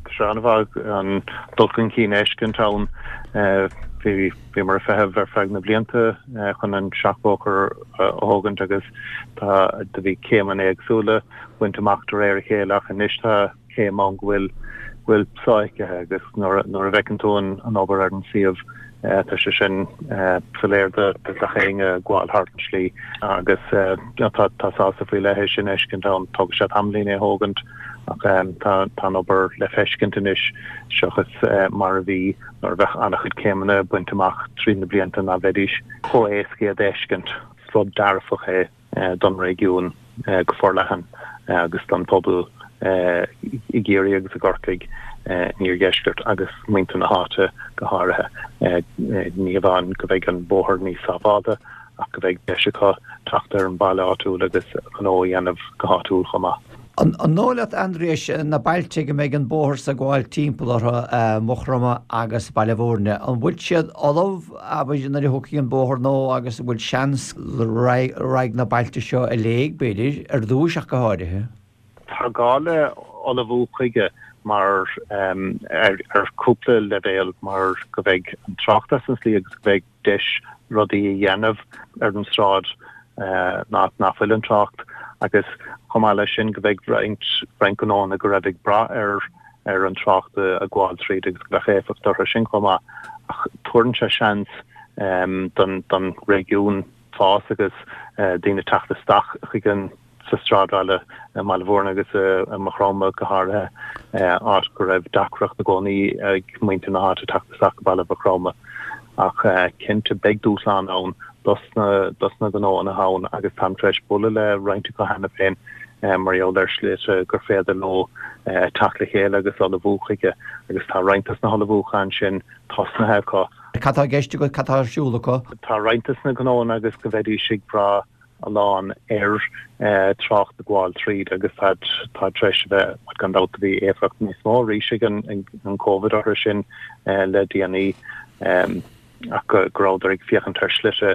Tá sé an-mhaith an dul chun cinn a fheiscint ann. Bhí bhíomar ag feitheamh ar feadh na blianta chun an seachbhóthar a thógaint agus tá do bhí céimeanna éagsúla bainte amach de réir a chéile ach anois tá céim ann go bhfuil bhfuil sofheicthe agus nuair a bhfeiceann tú an obair ar an suíomh tá sé sin soiléir do gach éinne ag gabháil thart an slí agus tá tá sásamh faoi leith é sin a fheiscint ann. Tógfaidh sé tamaillín é a thógaint ach tá tá an obair le feiscint anois seachas mar a bhí nuair a bheadh an-chuid céimeanna bainte amach trí na blianta ná bheidís chomh éasca iad a fheiscint. Is rud dearfach é don réigiún go forleathan agus don phobal i gCiarraí agus i gCorcaigh, in iardheisceart agus muintir na háite go háirithe. Ní hamháin go mbeidh an bóthar níos sábháilte ach go mbeidh deis acu teacht ar an bhaile áitiúil agus gnó a dhéanamh go háitiúil chomh maith. An dóigh leat, Aindrias, na bailte go mbeidh an bóthar so ag gabháil timpeall orthu, Maigh Chromtha agus Baile Bhúirne, an bhfuil siad ullamh, abair, nuair a thiocfaidh an bóthar nua agus an bhfuil seans go raghaidh na bailte seo i léig, b'fhéidir, ar dtúis ach go háirithe? Tá gá le ullmhú chuige mar ar cúpla leibhéal mar go mbeidh an trácht as an slí agus go mbeidh deis rudaí a dhéanamh ar an sráid nach nach bhfuil an trácht agus chomh maith leis sin go mbeidh roinnt roinnt gnóanna go raibh ag brath ar ar an trácht a gabháil tríd agus go mbeadh éifeacht orthu sin chomh maith ach tabharann sé seans don don réigiún fás agus daoine teacht isteach chuig an sa sráidbhaile i mBaile Bhúirne agus i Maigh Chromtha go háirithe, áit go raibh deacracht i gcónaí ag muintir na háite teacht isteach go baile Mhaigh Chromtha. Ach cinnte beidh dúshlán ann dos na dos na gnóanna ann agus táim tar éis bualadh le roinnt acu cheana féin mar gheall ar shlite gur féidir leo teacht le chéile agus ullmhú chuige agus tá roinnt dos na hullmhúcháin sin tosnaithe acu. Cad tá i gceist agat, cad tá ar siúl acu? Tá roinnt dos na gnóanna agus go mbeidís ag brath a lán ar trácht ag gabháil tríd agus tá tar éis a bheith, gan dabht, bhí éifeacht níos mó arís ag an Covid orthu sin le déanaí ach go rabhadar ag féachaint ar shlite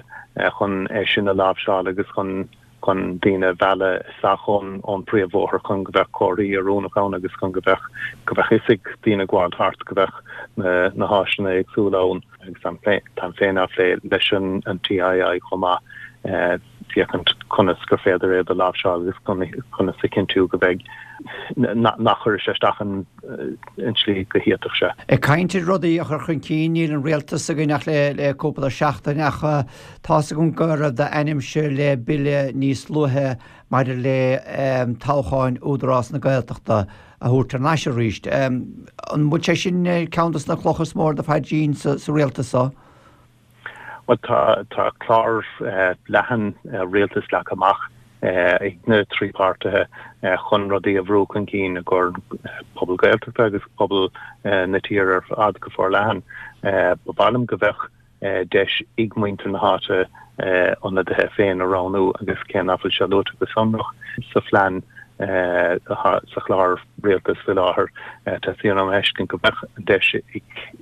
chun é sin a láimhseáil agus chun chun daoine a mhealladh isteach ón ón príomhbhóthar chun go mbeadh comharthaí oiriúnach ann agus chun go mbeadh go mbeadh fhios ag daoine ag gabháil thart go mbeadh na na háiseanna éagsúla ann agus táim féin á phlé leis an an TII chomh maith féachaint conas gur féidir iad a láimhseáil agus conas a chinntiú go mbeidh nach gcuirfidh sé isteach an tslí go bhféadfadh sé. Ag caint ar rudaí a chur chun cinn, níl an rialtas againn ach le cúpla seachtain ach tá's agam go raibh d'ainmse le bille níos luaithe maidir le toghcháin Údarás na Gaeltachta a thabhairt thar n-ais arís. An bhfuil sé sin ceann de na clocha is mó ar do phaidrín sa rialtas so? Bhuel, tá tá clár leathan rialtais leagtha amach ag na trí páirtithe chun rudaí a bhrú chun cinn i gcomhair pobal Gaeltachta agus pobal na tíre ar fad go forleathan. Ba mhaith liom go mbeadh deis ag muintir na háite ionadaithe féin a roghnú agus cé nach bhfuil sé luaite go sonrach sa phlean, sa chlár rialtais faoi láthair, teastaíonn uaim a fheiscint go mbeadh an deis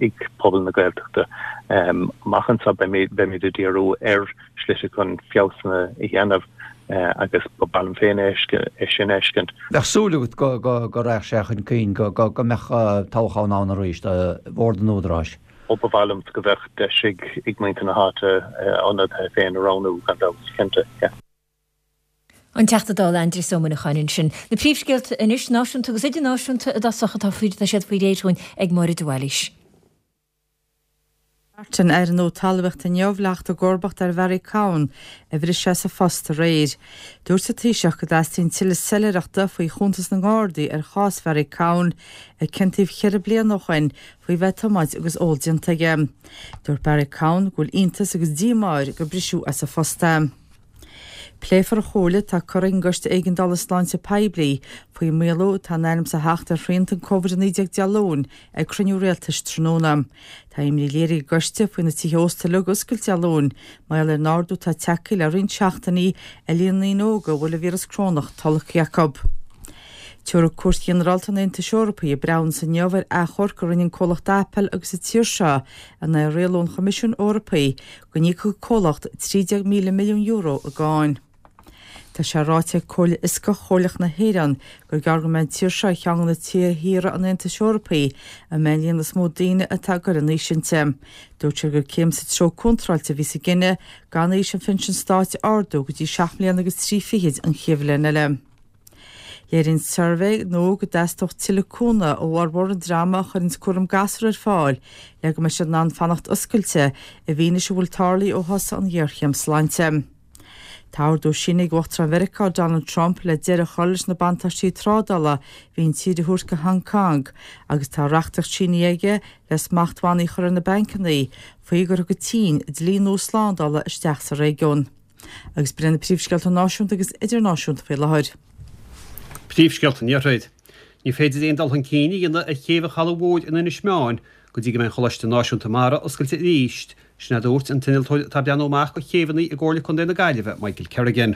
ag pobal na Gaeltachta. Amach anseo beimid ag díriú ar shlite chun feabhsanna a dhéanamh agus ba mhaith liom féin é sin a fheiscint. Bheadh súil agat go raghadh sé chun cinn, go mbeadh toghchán ann arís do Bhord an Údaráis? Ó ba mhaith liom go mbeadh deis ag muintir na háite a n-ionadaithe féin a roghnú, gan dabht, cinnte, yeah. An Teachta Dála Aindrias Ó Muineacháin ansin. Na príomhscéalta anois, náisiúnta agus idirnáisiúnta i dtosach atá faoi tá siad faoi réir dhúinn ag Máire de Bhailís. Martin, Aire nua Talmhaíochta inniu le theacht i gcomharbacht ar Bharry Cowen, a bhris as a phost aréir. Dúirt an Taoiseach go dteastaíonn tuilleadh soiléireachta faoi chuntas na nGardaí ar chás Bharry Cowen, a ciontaíodh ceithre bliana ó shin faoi bheith ag tiomáint agus ól déanta aige. Dúirt Barry Cowen go bhfuil iontas agus díomá air gur briseadh as a phost é. Pléifear an chomhairle atá curtha ag an gCoiste Éigeandála Sláinte Poiblí faoin maolú atá in ainm is a theacht ar shrianta an Covid a naoi déag Dé Luain ag cruinniú rialtais tráthnóna. Tá imní léirithe ag an gcoiste faoi na tithe ósta uilig a oscailt Dé Luain mar gheall ar an ardú atá tagtha le roinnt seachtainí ar líon na ndaoine óga a bhfuil an víreas corónach tolgtha acu. Tabharfaidh Cúirt Ghinearálta an Aontais Eorpaigh a breithiúnas inniu ar achomharc a rinne an comhlacht Apple agus an tír seo in aghaidh rialú an Choimisiúin Eorpaigh go n-íocfadh an comhlacht trí déag míle milliún euro i gcáin. Tá sé ráite ag Comhairle Fhioscach Chomhairleach na hÉireann gur gearr go mbeidh an tír seo ar cheann de na tíortha an Aontais Eorpaigh a mbeidh an líon is mó daoine atá ag dul in aois inti. Dúirt sé gur céim sa treo contráilte a bhí sa gcinneadh gan aois an phinsin stáit a ardú go dtí seacht mbliana agus trí fichid an chéad bhliain eile. Léiríonn suirbhé nua go dteastódh tuilleadh cúnamh ó fhormhór an dreama a chuireanns cúram gasúr ar fáil le go mbeidh siad in ann fanacht oscailte i bhfianaise a bhfuil tarlaithe ó thosaigh an ghéarchéim sláinte. Tá ordú sínithe ag Uachtarán Mheiriceá Donald Trump le deireadh a chur leis na buntáistí trádála a bhí an tír a thabhairt go Hong Kong agus tá reachtaíocht sínithe aige le smachtbhannaí a chur ar na bancanna faoi gur thug an tSín dlí nua slándála isteach sa réigiún. Agus b'in na príomhscéalta náisiúnta agus idirnáisiúnta faoi láthair. Príomhscéalta an Iarthair. Ní féidir aon dul chun cinn a dhéanamh ar chéibh an Chalaidh Mhóir in Inis Meáin go dtí go mbeidh an Choláiste Náisiúnta Mara oscailte arís, sin a dúirt an t-innealtóir atá ag breathnú amach do chéibheanna i gComhairle Contae na Gaillimhe, Michael Kerrigan.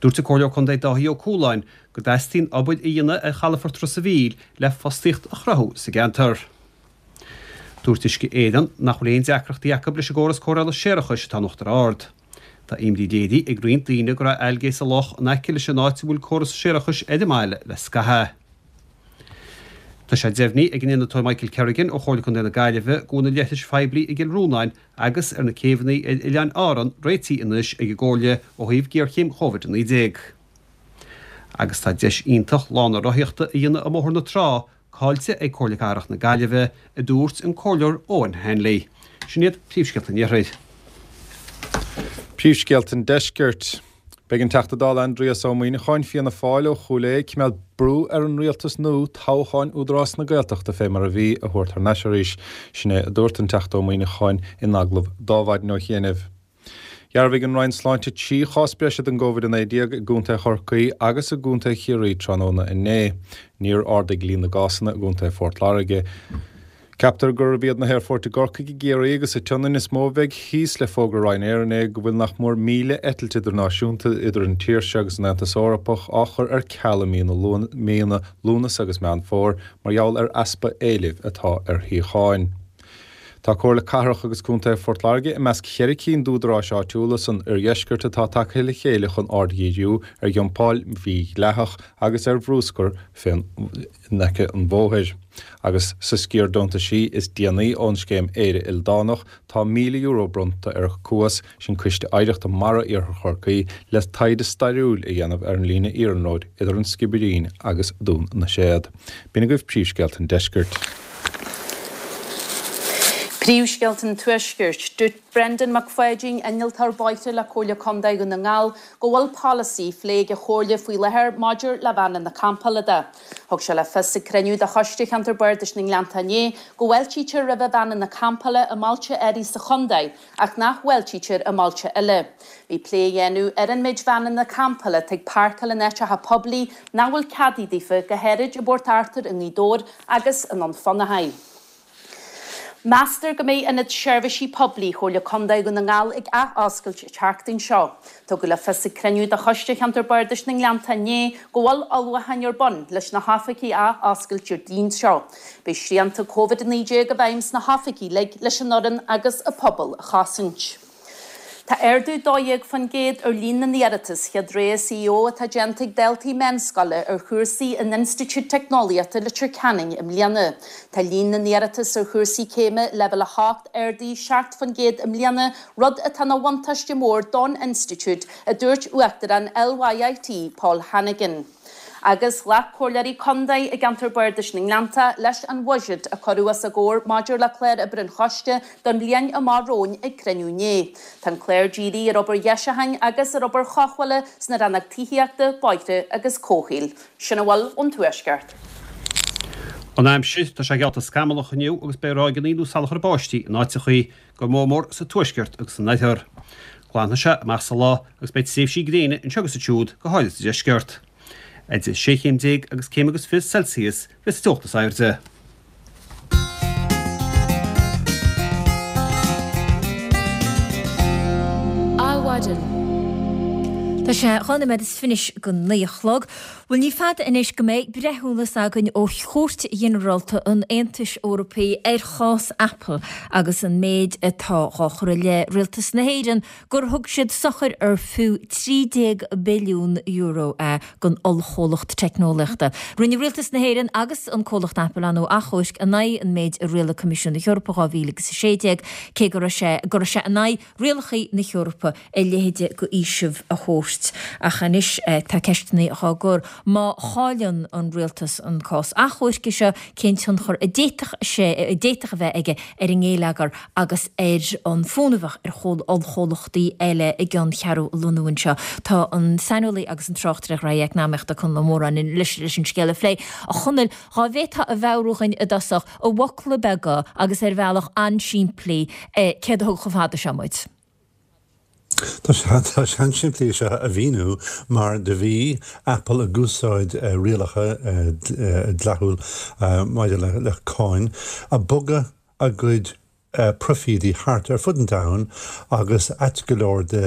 Dúirt an Comhairleoir Contae Dáithí Ó Cualáin go dteastaíonn obair a dhéanamh ar chalafort Ros a' Mhíl le fostaíocht a chruthú sa gceantar. Dúirt Uisce Éireann nach bhfuil aon deacrachtaí acu leis an gcóras cóireála séarachais atá in Uachtar Ard. Tá imní léirithe ag roinnt daoine go raibh ailgé sa loch in aice leis an áit a bhfuil córas séarachais ar an mbaile le scaitheamh. Tá sé deimhnithe ag an innealtóir Michael Kerrigan ó Chomhairle Contae na Gaillimhe go bhfuil na leithris phoiblí i gCill Rónáin agus ar na céibheanna ar Oileáin Árann réitithe anois ag an gComhairle ó thaobh géarchéim Covid a naoi déag. Agus tá deis iontach lána rothaíochta a dhéanamh i mBóthar na Trá caillte ag Comhairle Cathrach na Gaillimhe, a dúirt an Comhairleoir Eoghan Hanley. Sin iad príomhscéalta an Iarthair. Príomhscéalta an Deiscirt. Beidh an Teachta Dála Aindrias Ó Muimhneacháin, Fianna Fáil ó Chúil Aodha, ag coimeád brú ar an rialtas nua toghcháin Údarás na Gaeltachta fé mar a bhí a thabhairt thar n-ais arís. Sin é a dúirt an Teachta Ó Muimhneacháin in agallamh d'Adhmhaidin ó chianaibh. Dhearbhaigh an Roinn Sláinte trí chás breise den gCovid a naoi déag i gContae Chorcaí agus i gContae Chiarraí tráthnóna inné. Níor ardaigh líon na gcásanna i gContae Phort Láirge. Ceaptar gurb iad na haerfoirt i gCorcaigh, i gCiarraí agus sa tSionainn is mó a bheidh thíos le fógra Ryanair inné go bhfuil nach mór míle eitilt idirnáisiúnta idir an tír seo agus an Aontas Eorpach á chur ar ceal i míonna Lúnasa agus Meán Fómhair mar gheall ar easpa éilimh atá ar shuíocháin. Tá Comhairle Cathrach agus Contae Phort Láirge i measc cheithre cinn d'údaráis áitiúla san oirdheisceart atá tagtha le chéile chun aird a dhíriú ar dhumpáil mhídhleathach agus ar bhruscar in aice an bhóthair. Agus sa sciar deontaisí is déanaí ón scéim Éire Ildánach, tá míle euro bronnta ar Cuas, sin Coiste Oidhreachta Mara Iarthar Chorcaí, le taighde stairiúil a dhéanamh ar an líne iarnróid idir an Sciobairín agus Dún na Séad. B'in agaibh príomhscéalta an deiscirt. Príomhscéalta an Tuaiscirt. Dúirt Brendan Mac Pháidín, innealtóir bóithre le Comhairle Contae Dhún na nGall, go bhfuil polasaí á phlé ag an Chomhairle faoi láthair maidir le veaineanna campála de. Thug sé le fios ag cruinniú de Choiste Cheantar Bardais na nGleannta inné go bhfáiltítear roimh veaineanna campála i mbailte áirithe sa chontae ach nach bhfáiltítear i mbailte eile. Bhí plé á dhéanamh ar an méid veaineanna campála atá ag páirceáil in áiteacha poiblí nach bhfuil ceadaithe daofa, go háirid i bPort Arthur i nGaoth Dobhair agus i nDún Fionnachaidh. Meastar go mbeidh Ionad Seirbhísí Poiblí Chomhairle Contae Dhún na nGall ag ath-oscailt an tseachtain seo. Tugadh le fios ag cruinniú de Choiste Cheantar Bardais na nGleannta inné go bhfuil ullmhúcháin ar bun leis na hoifigí a ath-oscailt Déardaoin seo. Beidh srianta Covid a naoi déag i bhfeidhm sna hoifigí uilig leis an fhoireann agus an pobal a chosaint. Tá ardú dó dhéag faoin gcéad ar líon na n-iarratas chéad rogha CAO atá déanta ag daltaí meánscoile ar chúrsaí in Institiúid Teicneolaíochta Leitir Ceanainn i mbliana. Tá líon na n-iarratas ar chúrsaí céime Leibhéal a hocht ardaithe seacht faoin gcéad i mbliana, rud atá ina bhuntáiste mór don institiúid, a dúirt Uachtarán LYIT, Paul Hannigan. Agus ghlac Comhairleoirí Contae i gceantar Bardais na nGleannta leis an bhuiséad a cuireadh os a gcomhair maidir le clár oibre an Choiste don bhliain amach romhainn ag cruinniú inné. Tá an clár dírithe ar obair dheisiúcháin agus ar obair chothabhála sna rannóga tithíochta, bóithre agus comhshaoil. Sin a bhfuil ón Tuaisceart. An aimsir, tá sé geallta scamallach inniu agus beidh ráigeanna nó salachar báistí in áiteachaí, go mór mór sa tuaisceart agus san oirthear. Glanfaidh sé amach sa lá agus beidh tréimhsí gréine anseo agus ansiúd, go háirid sa deisceart. Idir sé chéim déag agus céim agus fiche Celsius a bheas an teocht is airde. Adhmhaidin. Tá sé dhá nóiméad is fiche go naoi a chlog. Bhuel, ní fada anois go mbeidh breithiúnas againn ó Chúirt Ghinearálta an Aontais Eorpaigh ar chás Apple agus an méid atá dhá chur i leith Rialtas na hÉireann gur thug siad sochair ar fiú trí déag billiún euro é don ollchomhlacht teicneolaíochta. Rinne Rialtas na hÉireann agus an comhlacht Apple ar ndóigh achomhairc in aghaidh an méid a rialaigh Coimisiún na hEorpa dhá mhíle agus a sé déag, cé go raibh sé go raibh sé in aghaidh rialacha na hEorpa a leithéide de fhaoiseamh a thabhairt. gcúirt. Ach anois tá ceisteanna á gcur, má chailleann an rialtas an cás achomhairc seo, cén tionchar a d'fhéadfadh sé, a d'fhéadfadh a bheith aige ar an ngeilleagar agus ar an bhfonn a bheadh ar ollchomhlachtaí eile a gceanncheathrú a lonnú anseo. Tá an saineolaí agus an tráchtaire gnóthaí eacnamaíochta Conall Ó Móráin leis leis an scéal a phlé. A Chonaill, dhá bhféadfá a mheabhrú dhúinn i dtosach, i bhfocla beaga agus ar bhealach an-simplí, céard a thug chomh fada seo muid? Tá sé an-simplí seo a mhíniú mar do bhí Apple ag úsáid rialacha dleathúil maidir le cáin ag bogadh a gcuid proifídí thart ar fud an domhain agus ait go leor de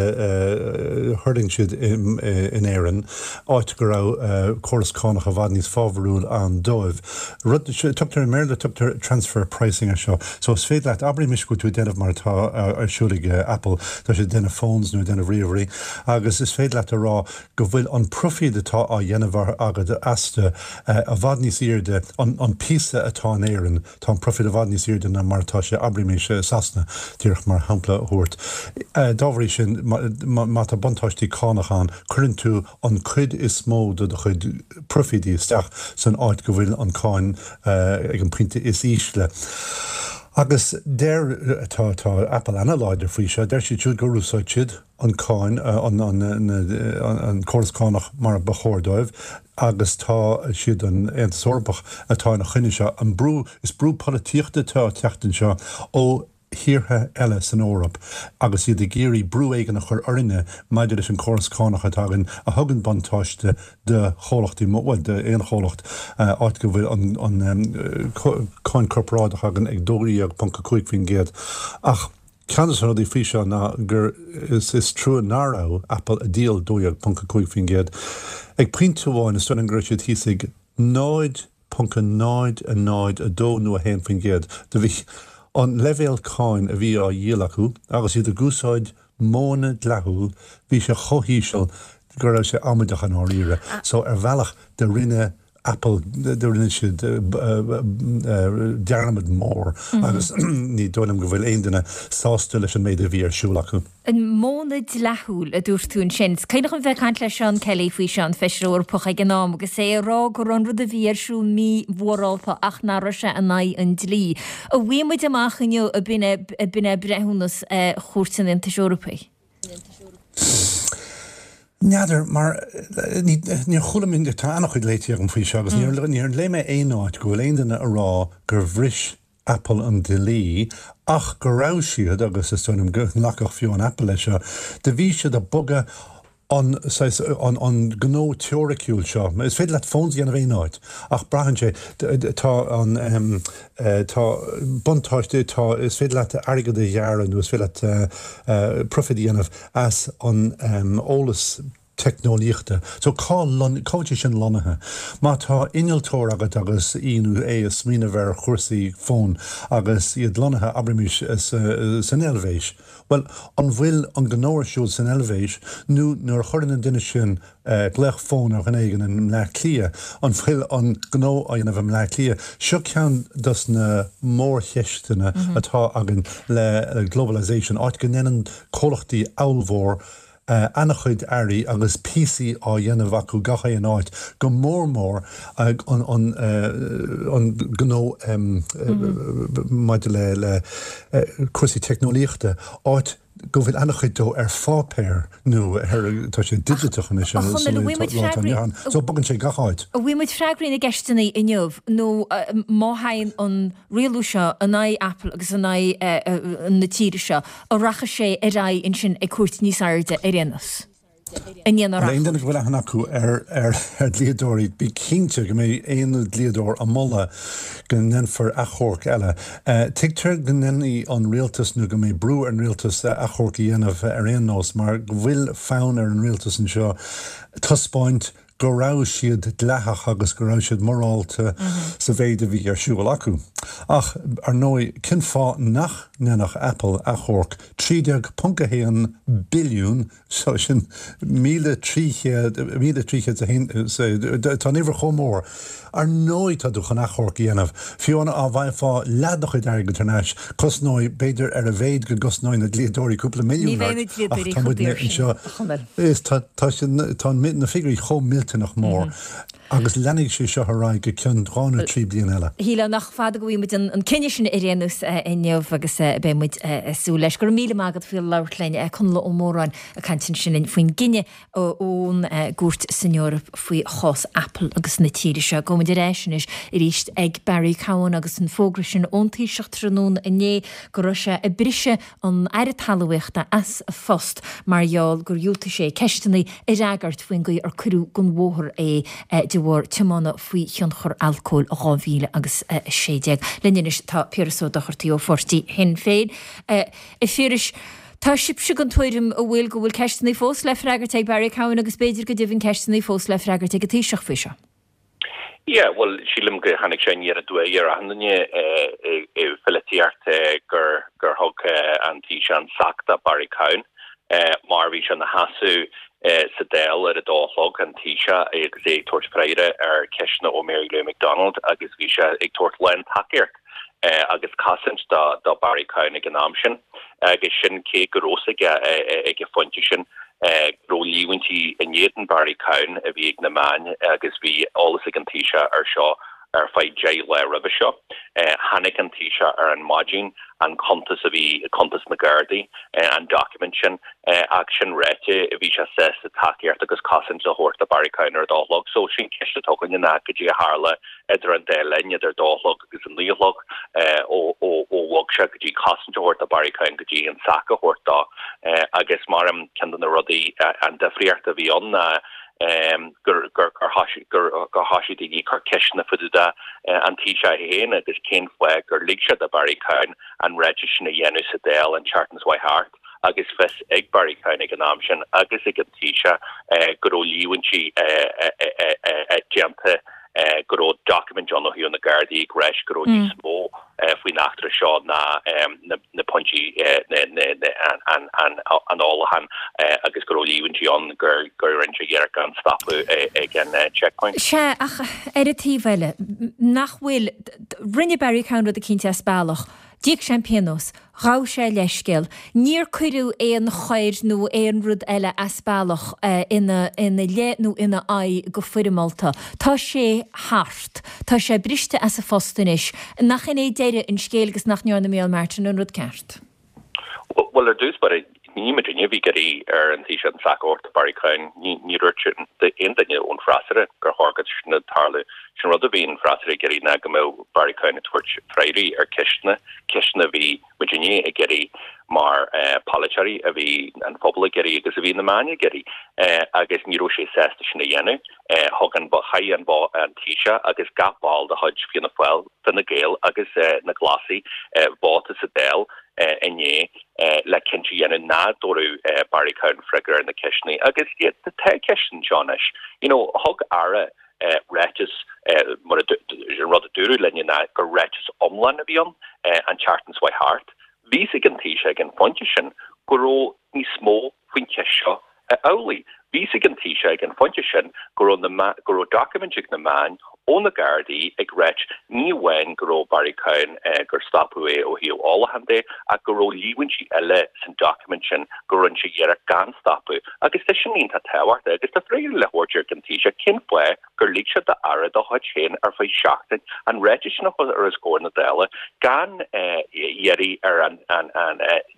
thuirling siad in Éirinn, áit go raibh córas cánach i bhfad níos fábharúil ann dóibh. Rud, tugtar i mBéarla tugtar transfer pricing ar seo. So is féidir leat, abraimis go bhfuil tú ag déanamh mar atá ar siúl ag Apple, tá siad ag déanamh phones nó ag déanamh ríomhairí agus is féidir leat a rá go bhfuil an proifíd atá á dhéanamh agat astu i bhfad níos airde, an píosa atá in Éirinn, tá an proifíd i bhfad níos airde ná mar atá sé, abraimis i Sasana, díreach mar shampla a thabhairt. Dá bhrí sin, má tá buntáistí cánach ann, cuireann tú an cuid is mó de do chuid proifídí isteach san áit go bhfuil an cáin ag an pointe is ísle. Agus deir, tá, tá Apple ana-láidir faoi seo, deir siad siúd gur úsáid siad an cáin, an, an, an córas cánach mar ba chóir dóibh agus tá siad an Aontas Eorpach atá ina choinne seo. An brú, is brú polaitíochta atá ag teacht anseo ó thíortha eile san Eoraip agus iad ag iarraidh brú éigin a chur orainne maidir leis an córas cánach atá againn a thugann buntáiste do chomhlachtaí, bhuel, d'aon chomhlacht, áit go bhfuil an cáin corparáideach againn ag dó dhéag ponc a cúig faoin gcéad. Ach ceann de na rudaí faoi seo ná gur is trua nach raibh Apple ag díol dó dhéag ponc a cúig faoin gcéad. Ag pointe amháin is dóigh liom go raibh siad thíos ag náid ponc a náid a náid a dó nó a haon faoin gcéad. Do bhí an leibhéal cáin a bhí á dhíol acu agus iad ag úsáid modhanna dleathúil, bhí sé chomh híseal go raibh sé amaideach i ndáiríre. So ar bhealach do rinne Apple, do rinne siad dearmad mór agus ní dóigh liom go bhfuil aon duine sásta leis an méid a bhí ar siúl acu. An modhanna dleathúil a dúirt tú ansin. Is cuimhin liom bheith ag caint le Seán Kelly faoi seo, an Feisire Eorpach ag an am, agus é ag rá go raibh an rud a bhí ar siúl mímhorálta ach nach raibh sé in aghaidh an dlí. An bhfaighidh muid amach inniu ab in é breithiúnas Chúirt an Aontais Eorpaigh? N'fheadar, mar níor chuala mé, tá an-chuid léite agam faoi seo agus níor níor léigh mé aon áit go bhfuil aon duine a rá gur bhris Apple an dlí ach go raibh siad, agus is dóigh liom go nglacfadh fiú an Apple leis seo, do bhí siad ag bogadh an saghas, an an gnó teoiriciúil seo. Is féidir leat phones a dhéanamh aon áit ach braitheann sé, tá an tá buntáiste, tá, is féidir leat airgead a ghearradh nó is féidir leat profit a dhéanamh as an eolas teicneolaíochta. So cá cá bhfuil sé sin lonnaithe? Má tá innealtóir agat agus í nó é ag smaoineamh ar chúrsaí fóin agus iad lonnaithe, abraimis, san Eilvéis, bhuel, an bhfuil an gnó ar siúl san Eilvéis nó nuair a chuireann an duine sin glaoch fóin ar dhuine éigin i mBleá Cliath, an bhfuil an gnó á dhéanamh i mBleá Cliath? Seo ceann dos na mórcheisteanna atá againn le globalization, áit go ndéanann comhlachtaí ollmhór an-chuid earraí agus píosaí á dhéanamh acu gach aon áit, go mór mór an gnó maidir le cúrsaí teicneolaíochta, áit go bhfuil an-chuid dó ar pháipéar nó ar, tá sé digiteach anois A Chonaill, an bhfaighidh muid freagraí, so bogann sé gach áit. An bhfaighidh muid freagraí na gceisteanna inniu nó má théann an rialú seo in aghaidh Apple agus in aghaidh na tíre seo, an rachaidh sé ar aghaidh ansin ag cúirt níos airde ar aon nós? An aon duine go bhfuil aithne acu ar dhlíodóirí, bí cinnte go mbeidh aon dlíodóir ag moladh go ndéanfar achomharc eile. Tuigtear go ndéanfaidh an rialtas nó go mbeidh brú ar an rialtas achomharc a dhéanamh ar aon nós mar go bhfuil fonn ar an rialtas anseo taispeáint go raibh siad dleathach agus go raibh siad morálta sa mhéid a bhí ar siúl acu. Ach ar ndóigh, cén fáth nach ndéanfadh Apple achomharc trí déag ponc a haon billiún, so sin míle trí chéad, míle trí chéad is a haon, tá an uimhir chomh mór. Ar ndóigh tá tú chun achomharc a dhéanamh. Fiú dá bhfaighfeá leath do chuid airgid thar n-ais, cosnóidh, b'fhéidir ar a mhéad go gcosnóidh na dlíodóirí cúpla milliún ort, ach tá muidne anseo, is tá, tá siad, tá na figiúirí chomh millteanach mór agus leanfaidh sé seo ar aghaidh go ceann dhá nó trí bliana eile. Shílfeá nach fada go bhfaighidh muid an cinneadh sin ar aon nós inniu agus beidh muid ag súil leis. Go raibh míle maith agat faoi labhairt linn, Conall Ó Móráin ag caint ansin linn faoin gcinneadh ón gcúirt san Eoraip faoi chás Apple agus na tíre seo. Gabhfaidh muid ar ais anois arís ag Barry Cowen agus an fógra sin ón Taoiseach tráthnóna inné go raibh sé ag briseadh an Aire Talmhaíochta as a phost mar gheall gur dhiúltaigh sé ceisteanna a fhreagairt faoin gcaoi ar cuireadh den bhóthar é de bharr tiomána faoi thionchar alcóil i dhá mhíle agus a sé déag. Linn anois tá Piaras Ó Dochartaigh ó pháirtí Shinn Féin. A Phiarais, tá sibhse den tuairim an bhfuil go bhfuil ceisteanna fós le freagairt ag Barry Cowen agus b'fhéidir go deimhin ceisteanna fós le freagairt ag an Taoiseach faoi seo. Yeah, bhuel, sílim go tháinig sé aniar aduaidh ar achan duine i pholaitíocht gur gur thug an Taoiseach an sac do Barry Cowen mar bhí sé ina sheasamh sa Dáil ar a dó a chlog, an Taoiseach, agus é ag tabhairt freagra ar cheisteanna ó Mary Lou McDonald agus bhí sé ag tabhairt lán-tacaíocht agus cosaint do Barry Cowen ag an am sin agus sin cé go raibh a fhios aige ag an phointe sin go raibh líomhaintí in éadan Barry Cowen a bhí ag na meáin agus bhí eolas ag an Taoiseach ar seo ar feadh deich lá roimhe seo. Tháinig an Taoiseach ar an maidin an cuntas a bhí, cuntas na Gardaí, an document sin, ach sin ráite, bhí sé sásta tacaíocht agus cosaint a thabhairt do Barry Cowen ar a dó a chlog. So sin ceist atá againne ná cad é a tharla idir an dá linn, idir a dó a chlog agus a naoi a chlog, ó bhog sé go dtí cosaint a thabhairt do Barry Cowen go dtí an sac a thabhairt dó. Agus mar ceann de na rudaí, an difríocht a bhí ann ná, gur thosaigh daoine ag cur ceisteanna fá dtaobh de an Taoiseach féin agus cén fáth gur lig sé do Barry Cowen an ráiteas sin a dhéanamh sa Dáil an tseachtain seo thart agus fios ag Barry Cowen ag an am sin agus ag an Taoiseach go raibh líomhaintí déanta go raibh doiciméid ann ó thaobh na Gardaí ag ráit go raibh níos mó faoin eachtra seo ná na pointí an ólachán agus go raibh líomhaintí ann gur rinne sé iarracht gan stopadh ag an checkpoint. Sea, ach ar an taobh eile, nach bhfuil, rinne Barry Cowen rud eicínt as bealach. D'íoc sé an pionós. Ghabh sé a leithscéal. Níor cuireadh aon choir nó aon rud eile as bealach ina leith nó ina aghaidh go foirmeálta. Tá sé thart. Tá sé briste as a phost anois. Nach in é deireadh an scéil agus nach ndearna Micheál Martin an rud ceart? Bhuel, ar dtús báire, ní muidinne a bhí ag iarraidh ar an Taoiseach an sac a thabhairt do Barry Cowen. Ní dúirt aon duine ón bhfreasúra gur chóir go sin a tarlú. Sin rud a bhí an freasúra ag iarraidh ná go mbeadh Barry Cowen ag tabhairt freagraí ar ceisteanna, ceisteanna a bhí muidinne ag iarraidh mar polaiteoirí, a bhí an phobal ag iarraidh agus a bhí na meáin ag iarraidh agus ní raibh sé sásta sin a dhéanamh. Thug an, chaith an an Taoiseach agus gach ball de chuid Fianna Fáil, Fine Gael agus na Glasaigh vóta sa Dáil inné le cinnte a dhéanamh nach dtabharfadh Barry Cowen freagra ar na ceisteanna agus tá ceisteanna anseo anois. You know, thug Aire ráiteas, mar an rud a dúradh linne ná gur ráiteas iomlán a bhí ann an tseachtain seo thart. Bhí fhios ag an Taoiseach ag an phointe sin go raibh níos mó faoin cheist seo amhlaidh. Bhí fhios ag an Taoiseach ag an phointe sin go raibh na go raibh doiciméid ag na meáin ó na Gardaí ag ráit ní amháin go raibh Barry Cowen gur stopadh é ó thaobh ólacháin de ach go raibh líomhaintí eile san doiciméad sin go rinne sé iarracht gan stopadh agus tá sin iontach tábhachtach agus tá freagra le thabhairt ag an Taoiseach cén fáth gur lig sé d'Aire dá chuid féin ar feadh seachtain an ráiteas sin a chur os comhair na Dála gan iarraidh ar an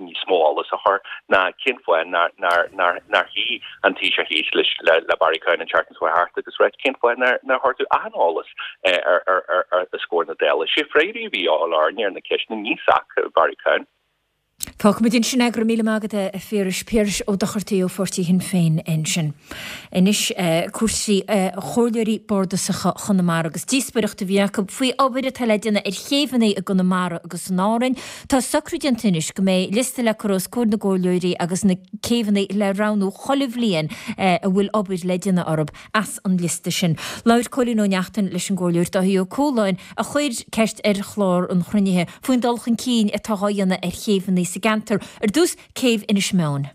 níos mó eolas a chur ná cén fáth nár shuigh an Taoiseach thíos le Barry Cowen an tseachtain seo thart agus ráit cén fáth nár chuir tú achan eolas ar os comhair na Dála. Sé freagraí a bhí á lorg ar na ceisteanna ní sac Barry Cowen. Fágfaimid ansin é, go raibh míle maith agat a Phiarais, Piaras Ó Dochartaigh ó pháirtí Shinn Féin ansin. Anois cúrsaí Chomhairleoirí Bardasacha Chonamara agus díospóireacht a bhí acu faoi obair atá le déanamh ar chéibheanna i gConamara agus in Árainn. Tá socrú déanta anois go mbeidh liosta le cur os comhair na gcomhairleoirí agus na céibheanna le roghnú chuile bhliain a bhfuil obair le déanamh orthu as an liosta sin. Labhair Cóilín Ó Neachtain leis an gComhairleoir Dáithí Ó Cualáin a chuir ceist ar chlár an chruinnithe faoin dul chun cinn atá á dhéanamh ar chéibheanna sa gceantar. Ar dtús, céibh Inis Meáin.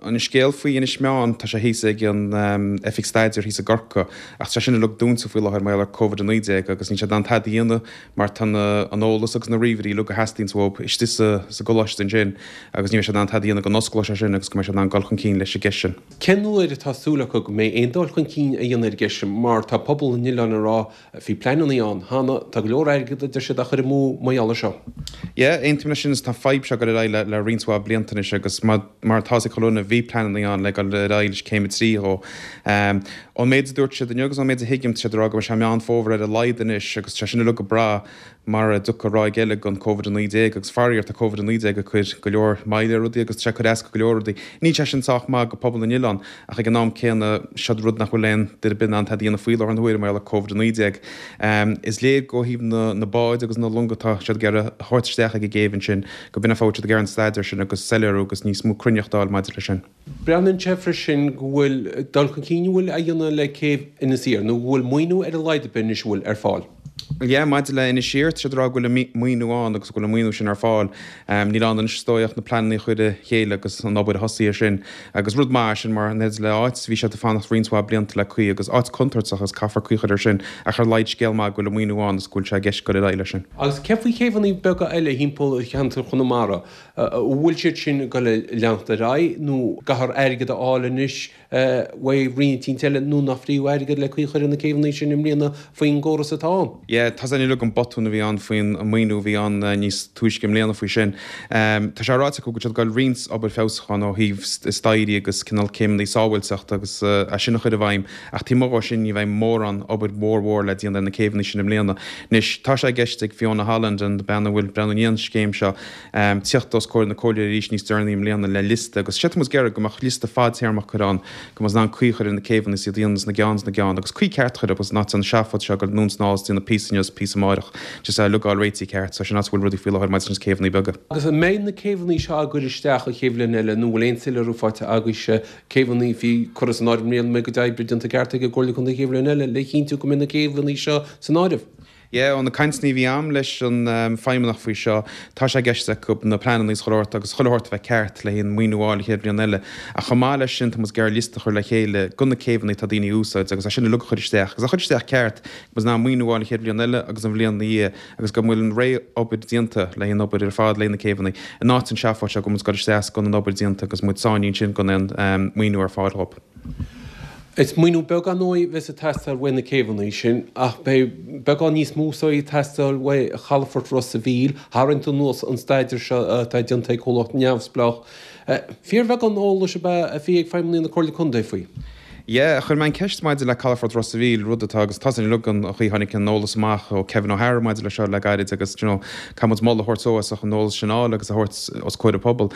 An scéal faoi Inis Meáin, tá sé thíos ag an Oifig Staidéir thíos i gCorcaigh, ach tá sé sin uilig dúnta faoi láthair mar gheall ar Covid a naoi déag agus níl siad in ann tada a dhéanamh mar tá an eolas agus na ríomhairí uilig a theastaíonns uathu istigh sa gcoláiste ansin agus ní bheidh siad in ann tada a dhéanamh go n-osclóidh sé sin agus go mbeidh siad in ann dul chun cinn leis an gceist sin. Cén uair atá súil acu go mbeidh aon dul chun cinn á dhéanamh ar an gceist sin mar tá pobal an oileáin ag rá Bhí pleananna ann cheana, tá go leor airgid a deir siad á chur amú mar gheall air seo. Yeah, aontaím leis sin is tá an fadhb seo ag dul ar aghaidh le le roinnt mhaith blianta anois agus mar mar atá ag chuile dhuine bhí pleananna ann le dul ar aghaidh leis céim a trí dhó. Ón méid a dúirt siad inniu agus ón méid a thuigim tá siad ag rá go mbeidh sé Meán Fómhair ar a laghad anois agus tá sin uilig ag brath mara dtiocfaidh ráig eile den Covid a naoi déag agus faraor tá Covid a naoi déag ag cur go leor moille ar rudaí agus tá sé ag cur as go leor rudaí. Níl sé sin sách maith go pobal na n-oileán ach ag an am céanna seo rud nach bhfuil aon duine ar bith in ann tada a dhéanamh faoi láthair na huaire mar gheall ar Covid a naoi déag. Is léir go thaobh na na báid agus na longa atá siad ag iarraidh a thabhairt isteach ag an gcéibh ansin go b'in an fáth siad ag iarraidh an staidéar sin agus soiléiriú agus níos mó cruinneachta a fháil maidir leis sin. Breathnaíonn sé freisin go bhfuil dul chun cinn a bhfuil á dhéanamh le céibh Inis Oírr nó go bhfuil maoiniú ar a laghad ar bith anois a bhfuil ar fáil. Yeah, maidir le Inis Oírr, tá siad ag rá go bhfuil an maoiniú ann agus go bhfuil an maoiniú sin ar fáil. Níl ann anois is dóigh ach na pleananna a chur le chéile agus an obair a thosaí ar sin. Agus rud maith é sin mar in éineacht le áit, bhí siad ag fanacht roinnt mhaith blianta le caoi agus áit contúirteach agus caithfear caoi a chur ar sin ach ar a laghad scéal maith go bhfuil an maoiniú ann agus go bhfuil sé i gceist dul ar aghaidh leis sin. Agus céard faoi chéibheanna beaga eile thimpeall cheantar Chonamara? An bhfuil siad sin ag dul a leanacht ar aghaidh nó caithfear airgead a fháil anois uaidh roinn eicínt eile nó nach fiú airgead le caoi a chur ar na céibheanna sin i mbliana faoin gcóras atá ann. Yeah, tá sin uilig an botún a bhí ann faoin maoiniú a bhí ann níos túisce i mbliana faoi sin. Tá sé ráite acu go bhfuil siad ag dul roinnt obair feabhsúcháin ó thaobh staighrí agus cineál céimeanna sábháilteachta agus é sin a chur i bhfeidhm ach taobh amuigh dhó sin ní bheidh mórán obair mhór mhór le déanamh ar na céibheanna sin i mbliana. Anois, tá sé i gceist ag Fiona Holland, an bean a bhfuil breathnú i ndiaidh an scéim seo, tíocht os comhair na comhairleoirí arís níos deireanaí i mbliana le liosta agus séard tá muid ag iarraidh go mbeadh liosta fadtéarmach curtha ann go mbeadh in ann caoi a chur ar na céibheanna is iad a dhéanamh sna gceann sna gceann agus caoi ceart a chur orthu in áit an seafóid seo ag dul anonn is anall is déanamh píosa inniu is píosa amáireach just é uilig a fháil réitithe ceart so sin áit a bhfuil rudaí faoi láthair maidir leis na céibheanna beaga. Agus an mbeidh na céibheanna seo á gcur isteach an chéad bhliain eile nó bhfuil aon soiléiriú faighte agaibhse céibheanna a bhí curtha san áireamh i mbliana an mbeidh a gcuid oibre déanta ceart ag an gComhairle Contae an chéad bhliain eile le chinntiú go mbeidh na céibheanna seo san áireamh? Yeah, ó na cainteanna a bhí a'm leis an feidhmeannach faoi seo, tá sé i gceist acu na pleananna is chuile shórt agus chuile shórt a bheith ceart le haon maoiniú a fháil an chéad bhliain eile. Ach chomh maith leis sin, tá muid ag iarraidh liosta a chur le chéile go na céibheanna atá daoine a úsáid agus é sin uilig a chur isteach agus a chur isteach ceart go mbeidh in ann maoiniú a fháil an chéad bhliain eile agus an bhliain ina dhiaidh agus go bhfuil an réidh-obair déanta le haon obair ar fad le na céibheanna in áit an seafóid seo go muid ag dul isteach gan an obair déanta agus muid sáinnithe ansin gan aon maoiniú ar fáil dhób. Is maoiniú beag ar ndóigh a bheas ag teastáil uaidh na céibheanna sin ach beidh beagán níos mó is dóigh ag teastáil uaidh chalafort Ros a' Mhíl. Tharraingt anuas an staidéar seo atá déanta ag comhlacht neamhspleách. Fíorbheagán eolais ab ea a bhí ag feidhmeannaigh na Comhairle Contae faoi. Yeah, chuir mé an ceist maidir le calafort Ros a' Mhíl, rud atá agus tá sin uilig an chaoi tháinig an eolas amach ó Kevin O'Hara maidir le seo le gairid agus you know caithfidh muid moladh a thabhairt dó as an eolas sin a fháil agus a thabhairt os comhair an phobail.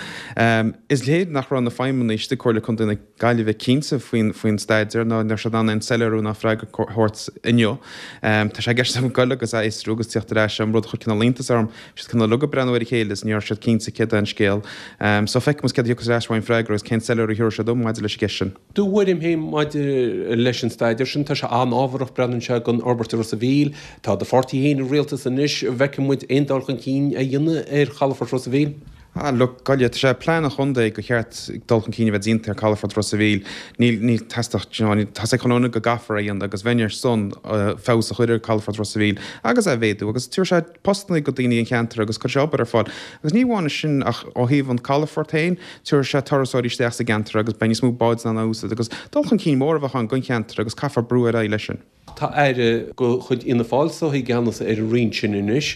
Is léir nach raibh na feidhmeannaigh istigh i Comhairle Contae na Gaillimhe cinnte faoin faoin staidéar ná ní raibh siad in ann aon soiléiriú ná freagra a thabhairt inniu. Tá sé i gceist agam goil agus a fhiosrú agus tíocht ar ais an rud a chuir cineál iontas orm, bhí siad cineál uilig ag breathnú ar a chéile is ní raibh siad cinnte céard é an scéal. So feicfidh muid céard a thiocfas ar ais uaim freagra agus cén soiléiriú a thabharfaidh siad dom maidir leis an gceist sin. Do thuairim féin maidir leis an staidéar sin, tá sé an-ábharach, breathnaíonn sé don fhorbairt i Ros a' Mhíl. Tá do pháirtí féin i rialtas anois, an bhfeicfidh muid aon dul chun cinn á dhéanamh ar chalafort Ros a' Mhíl? Ah, look, Gaillimh, tá sé i bplean an chontae gur cheart dul chun cinn a bheith déanta ar Calafort Ros a' Mhíl. Níl, níl teastach, do you know, tá sé chun go gcaithfear é a dhéanamh agus bheinn ar son feabhas a chur ar Calafort Ros a' Mhíl agus é a mhéadú agus tabharfaidh sé postanna go daoine an cheantair agus cuirfidh sé obair ar fáil. Agus ní amháin sin ach ó thaobh an calafort féin, tabharfaidh sé turasóirí isteach sa gceantar agus beidh níos mó báid in ann a úsáid agus dul chun cinn mór a bheadh ann don cheantar agus caithfear brú ar aghaidh leis sin. Tá aire de chuid Fhianna Fáil is dóichí i gceannas ar an roinn sin anois.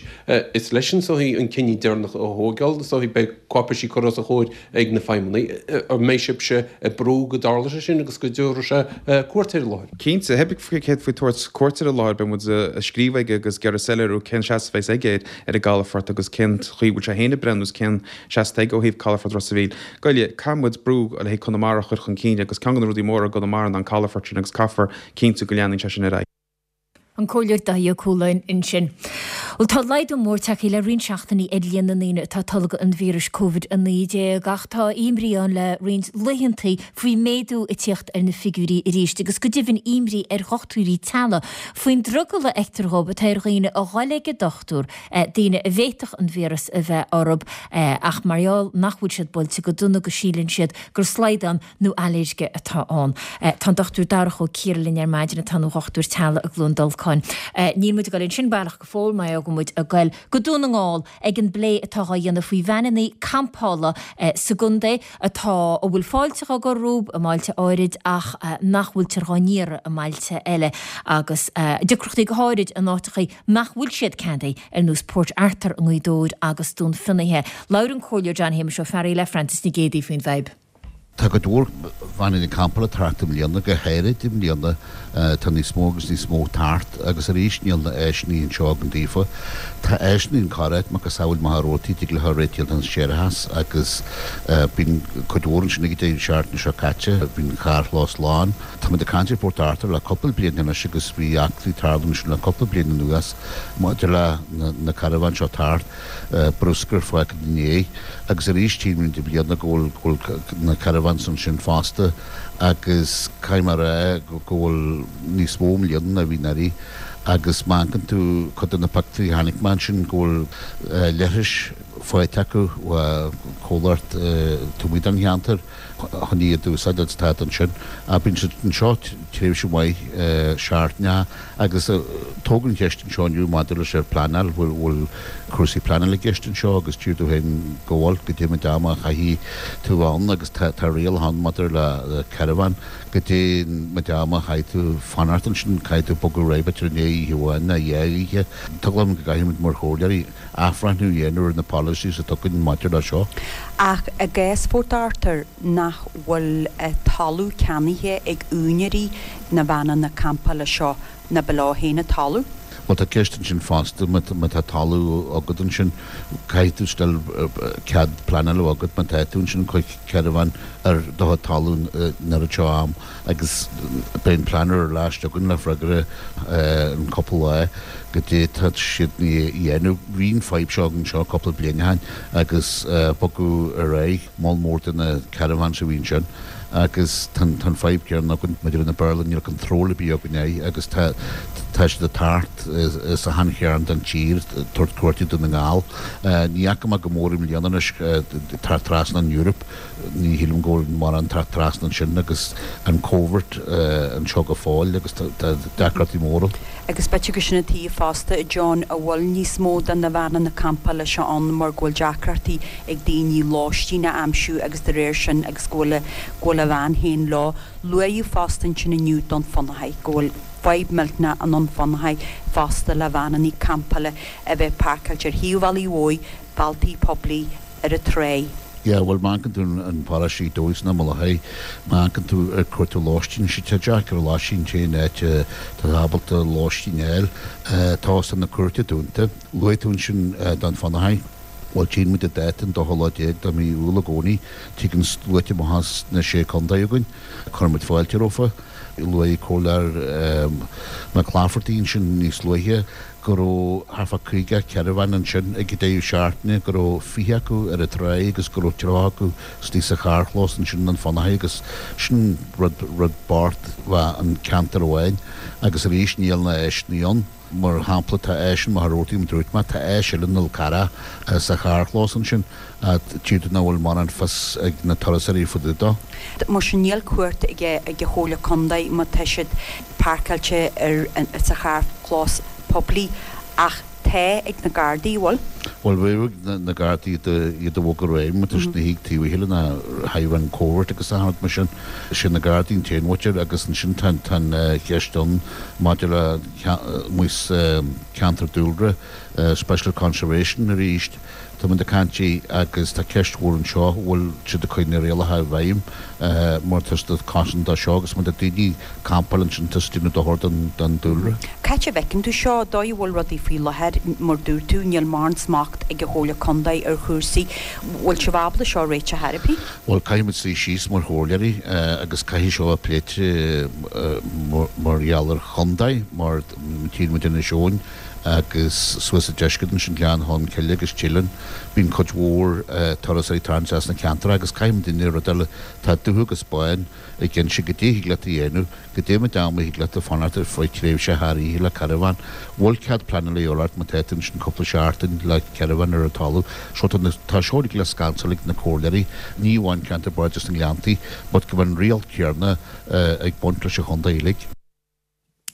Is leisean is dóichí an cinneadh deireanach a thógáil, is dóichí beidh cáipéisí curtha os a chomhair ag na feidhmeannaigh. An mbeidh sibhse ag brú go dtarlóidh sé sin agus go dtabharfaidh sé cuairt ar an láthair? Cinnte, pé ar bith céard faoi tabhairt cuairt ar an láthair, beidh muid ag scríobh aige agus ag iarraidh soiléiriú cén seasamh a bheas aige ar an gcalafort agus cén chaoi a bhfuil sé féin ag breathnú is cén seasamh atá aige ó thaobh calafort Ros a' Mhíl. Goile, caithfidh muid brú le haghaidh Conamara a chur chun cinn agus ceann de na rudaí móra i gConamara ná an calafort sin agus caithfear cinntiú go leanann sé sin ar aghaidh. An Comhairleoir Dáithí Ó Cualáin ansin. Bhuel tá laghdú mór tagtha le roinnt seachtainí ar líon na ndaoine atá ag tolgadh an víris Covid a naoi déag ach tá imní ann le roinnt laethanta faoi méadú ag tíocht ar na figiúirí arís agus go deimhin imní ar dhochtúirí teaghlaigh faoin drogall a fheictear dhóibh atá ar dhaoine a dhul ag an dochtúir, daoine a bhféadfadh an víreas a bheith orthu ach mar gheall nach bhfuil siad buailte go dona go síleann siad gur slaghdán nó ailléirge atá ann. Tá an Dochtúir Darach Ó Ciardha linn ar maidin atá ina dhochtúir teaghlaigh i gCluain Dolcáin. Níl muid ag dul ansin baileach go fóill mar go bhfuil muid ag goil go Dún na nGall ag an bplé atá á dhéanamh faoi veaineanna campála sa gcontae atá a bhfuil fáilte á gcur rompu i mbailte áirid ach nach bhfuiltear dhá n-iarraidh i mbailte eile agus deacrachtaí go háirid in áiteachaí nach bhfuil siad ceadaithe ar nós Port Arthur i nGaoth Dobhair agus Dún Fionnaithe. Labhair an Comhairleoir John Shéamuis Ó Fearraigh le Frances Nic Géadaigh faoin bhfadhb. Tá cuid mhór veaineanna campála ag teacht i mbliana, go háirid i mbliana tá níos mó agus níos mó ag teacht agus arís níl na áiseanna anseo againn daofa. Tá áiseanna in corr-áit, macasamhail Machaire Rabhartaigh, tig leo réiteach an séarachas agus bíonn cuid mhór ansin ag an deireadh seachtaine seo caite, bíonn an carrchlós lán. Táimid ag caint ar Port Arthur le cúpla bliain anois agus bhí eachtraí ag tarlú ansin le cúpla bliain anuas maidir le na carbháin seo ag teacht. bruscar fágtha ina ndiaidh agus arís tchím i mbliana go bhfuil go bhfuil na caravans ansin fosta agus caithfidh mé a rá go bhfuil níos mó i mbliana ná bhí anuraidh agus má amharcann tú cuid de na pictiúirí a chonaic mé ansin go bhfuil leithris faighte acu ó chomhlacht taobh amuigh den cheantar chun iad a úsáid agus tá ansin. Bíonn siad anseo tréimhse mhaith seachtaine agus tógadh an cheist anseo inniu maidir leis ar pleanáil, bhfuil bhfuil cúrsaí pleanála i gceist anseo agus deir tú féin go bhfuil, goidé méid ama a chaithfidh tú ann agus tá tá rialacha ann maidir le caravan, goidé méid ama a chaithfidh tú fanacht ansin, caithfidh tú bogadh ar aghaidh b'fhéidir i ndiaidh oíche amháin nó dhá oíche. Tá eagla orm go gcaithfimid mar chomhairleoirí athbhreithniú a dhéanamh ar na policies atá againn maidir le seo. Ach i gcás Phort Arthur nach bhfuil talamh ceannaithe ag úinéirí na veaineanna campála seo, ná ba leo féin an talamh? Bhuel tá ceist ansin fosta, má tá talamh agat ansin, caithfidh tú still cead pleanála a bheith agat má tá tú ansin ag cur caravan ar do chuid talún an oiread seo am agus beidh an pleanálaí ar ais chugainn le freagra in cúpla lá goidé tá siad a dhéanamh. Bhí an fadhb seo againn anseo cúpla bliain ó shin agus bogadh ar aghaidh moll mór de na caravans a bhí ansin agus tá an fadhb céanna againn maidir le na Béarla, níl control ar bith againn air agus tá tá siad ag teacht as achan chearn den tír ag tabhairt cuairte Dún na nGall. Ní fhaca mé go mór i mbliana anois teacht trasna an Eoraip, ní shílim go bhfuil mórán teacht trasna ansin agus an Covid anseo go fóill agus tá deacrachtaí móra. Agus b'fhéidir gur sin an tuige fosta, a John, a bhfuil níos mó de na veaineanna campála seo ann mar go bhfuil deacrachtaí ag daoine lóistín a aimsiú agus de réir sin agus go bhfuil a go bhfuil a veain féin leo. Luaíodh fosta ansin inniu Dún Fionnachaidh go bhfuil fadhb millteanach i nDún Fionnachaidh fosta le veaineanna campála a bheith páirceáilte ar thaobh bealaigh mhóir, bealtaí poiblí, ar an tráigh. Yeah, bhuel, má amharcann tú an paróiste Ghaoth Dobhair sna Mullachaí, má amharcann tú ag cuartú lóistín, tá sé deacair lóistín an t-aon áit atá ábalta lóistín a fháil, tá Óstán na Cúirte dúnta. Luaigh tú ansin Dún Fionnachaidh. Bhuel, tchíonn muid an dáta an dóú lá déag de mhí Iúil i gcónaí. Tigeann sluaite amach as na Sé Contae chugainn. Cuireann muid fáilte rompu. Luaigh Comhairleoir Mac Laifeartaigh ansin níos luaithe go raibh thart fá caoga caravan ansin ag an deireadh seachtaine, go raibh fiche acu ar an tráigh agus go raibh tríocha acu istigh sa charrchlós ansin i nDún Fionnachaidh agus sin rud rud bocht bheith an ceantar amháin agus arís níl na áiseanna ann. Mar shampla, tá áis in Machaire Rabhartaigh, mar a dúirt mé, tá áis eile i nDol Carrach sa charrchlós ansin, tír nach bhfuil mórán fios ag na turasóirí fá dtaobh dó. Mar sin níl cumhacht ag an Chomhairle Contae má tá siad páirceáilte ar sa charrchlós poiblí ach atá ag na Gardaí, bhfuil? Bhuel, bheadh na Gardaí iad a bhog ar aghaidh, má tá siad ina shuí taobh a chéile ná hidhreann covert agus achan rud mar sin. Sé na Gardaí an t-aon mhuintir agus ansin tá an cheist ann maidir le amuigh sa cheantar dúlra, special conservation arís. Tá muid ag caint agus tá ceist mhór anseo, bhfuil siad ag cur na rialacha i bhfeidhm mar tá siad ag cosaint dó seo agus má tá daoine ag campáil ansin tá siad ag déanamh dochar don dúlra. Cá háit a bhfeiceann tú seo, dóigh a bhfuil rudaí faoi láthair, mar dúirt tú, níl mórán smacht ag an Chomhairle Contae ar chúrsaí. Bhfuil sibh ábalta seo a réiteach ar bith? Bhuel, caithfidh muid suí síos mar chomhairleoirí agus caithfidh seo a pléite mar gheall ar chontae mar tchíonn muid Inis Eoghain agus suas sa deisceart ansin Gleann Cholm Cille agus Teileann. Bíonn cuid mhór turasóirí ag tarraingt as na ceantair agus caithfidh muidne rud eile, tá dubh agus bán ag inse goidé thig leat a dhéanamh, goidé méid ama thig leat a fanacht ar feadh tréimhse thar oíche le carbhán. Bhfuil cead pleanála a dhíobháil ort má tá tú ansin cúpla seachtain le carbhán ar an talamh. So tá na, tá seo uilig le scansáil ag na comhairleoirí, ní amháin ceantar Bardais na nGleanntaí but go bhfuil an riail céarna ag baint leis an chontae uilig.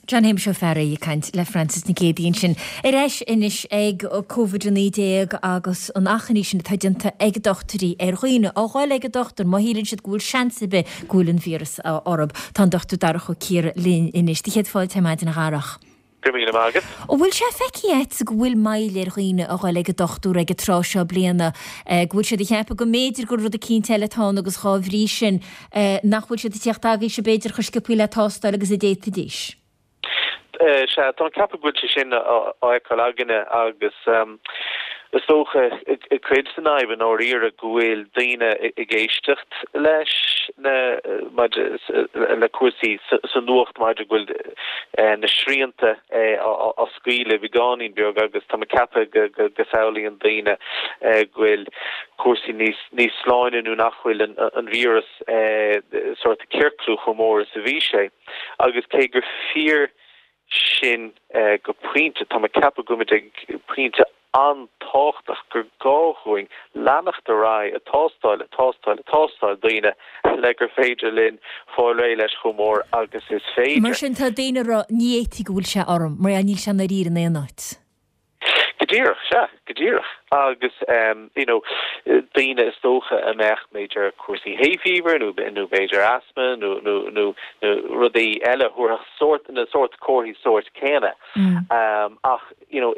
John Shéamuis Ó Fearraigh ag caint le Frances Nic Géadaigh ansin. Ar ais anois ag Covid a naoi déag agus an achainí sin atá déanta ag dochtúirí ar dhaoine a dhul ag an dochtúir má shíleann siad go bhfuil seans ar bith go bhfuil an víreas orthu. Tá an Dochtúir Darach Ó Ciardha linn anois. Do chéad fáilte ar maidin a Dharach. Go raibh míle maith agat. An bhfuil sé feicthe agat go bhfuil moill ar dhaoine a dhul ag an dochtúir ag an tráth seo bliana, go bhfuil siad ag ceapadh go mb'fhéidir gur rud eicínt eile atá ann agus dhá bhrí sin nach bhfuil siad ag tíocht agaibhse b'fhéidir chomh sciobtha le tástáil agus a d'fhéadfaidís? Sea, tá mé ag ceapadh go bhfuil sé sin á fheiceáil againne agus is dócha cuid den fhadhb i ndáiríre go bhfuil daoine ag éisteacht leis na maidir le cúrsaí sa nuacht maidir go bhfuil na srianta á scaoileadh beagáinín beag agus tá mé ag ceapadh go go samhlaíonn daoine go bhfuil cúrsaí níos níos sláine nó nach bhfuil an víreas sórt ag ciorclú chomh mór is a bhí sé agus cé gur fíor sin go pointe, tá mé ag ceapadh go bhfuil muid ag pointe an-tábhachtach gur gá dhúinn leanacht ar aghaidh ag tástáil, ag tástáil, ag tástáil daoine le gur féidir linn fáil réidh leis chomh mór agus is féidir. Mar sin tá daoine ag rá ní fhéadfaidh go bhfuil sé orm mar níl sé i ndáiríre in aon áit. Go díreach, sea, go díreach. Agus you know daoine is dócha a mbeadh b'fhéidir cúrsaí hay fever nó nó b'fhéidir asthma nó nó nó nó rudaí eile thabharfadh sórt na sórt comharthaí sóirt céanna. Ach you know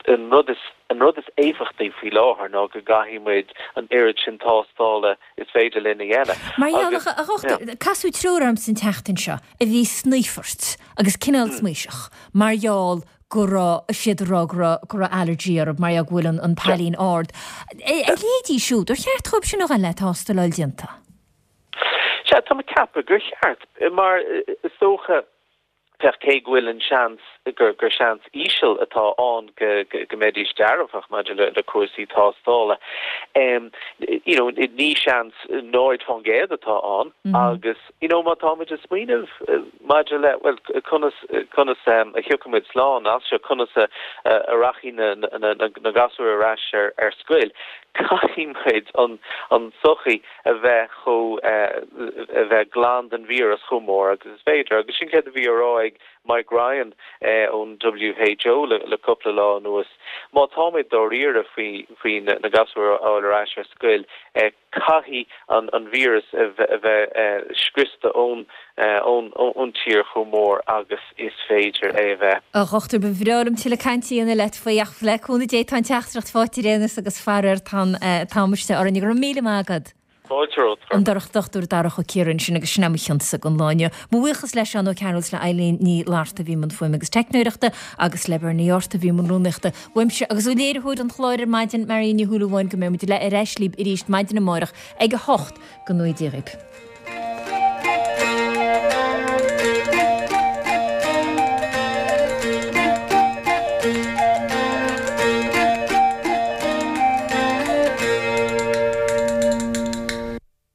an rud is an rud is éifeachtaí faoi láthair ná go gcaithfidh muid an oiread sin tástála is féidir linn a dhéanamh. Mar gheall, a dhochtúir, casadh triúr ormsa an tseachtain seo a bhí snoífort agus cineál smaoiseach mar gheall go raibh siad ag rá go raibh go raibh allergy orthu mar gheall go bhfuil an an pailin ard. A leithéidí siúd, ar cheart dhóibh sin a ghabháil le tástáil a fháil déanta? Sea, tá mé ag ceapadh gur cheart, mar is dócha, féach, cé go bhfuil an seans gur gur seans íseal atá ann go go mbeidís dearfach maidir le le cúrsaí tástála, you know, ní seans náid fán gcéad atá ann agus, you know, má táimid ag smaoineamh maidir le, bhuel, conas conas a thiocfaidh muid slán as seo, conas a a rachaidh na na na gasúir ar ais ar ar scoil, caithfidh muid an an tsochaí a bheith chomh a bheith glan den víreas chomh mór agus is féidir. Agus sin céard a bhí á rá ag Mike Ryan ón WHO le le cúpla lá anuas. Má táimid dáiríre faoi faoi na gasúir a fháil ar ais ar scoil, caithfidh an an víreas a bheith scriosta ón ón ón tír chomh mór agus is féidir é a bheith. A dhochtúir, ba bhreá liom tuilleadh cainte a dhéanamh leat faoi ach le cúnamh Dé tá an teachtaireacht faighte ar aon nós agus faraor tá an t-am istigh orainn. Go raibh míle maith agat. Fáilte romhat. An Dochtúir Darach Ó Ciardha ansin agus sin é mo chionsa don lá inniu. Mo bhuíochas le Seán Ó Cearúil is le Eileen Ní Fhlatharta a bhí i mbun fuaime agus teicneoireachta agus le Bernie Ort a bhí i mbun rúnaíochta. Uaimse agus ó léiritheoir an chláir ar maidin, Marion Ní Shúilleabháin, go mbeidh muid ar ais libh arís maidin amárach ag a hocht go ngnóthaí Dia dhaoibh.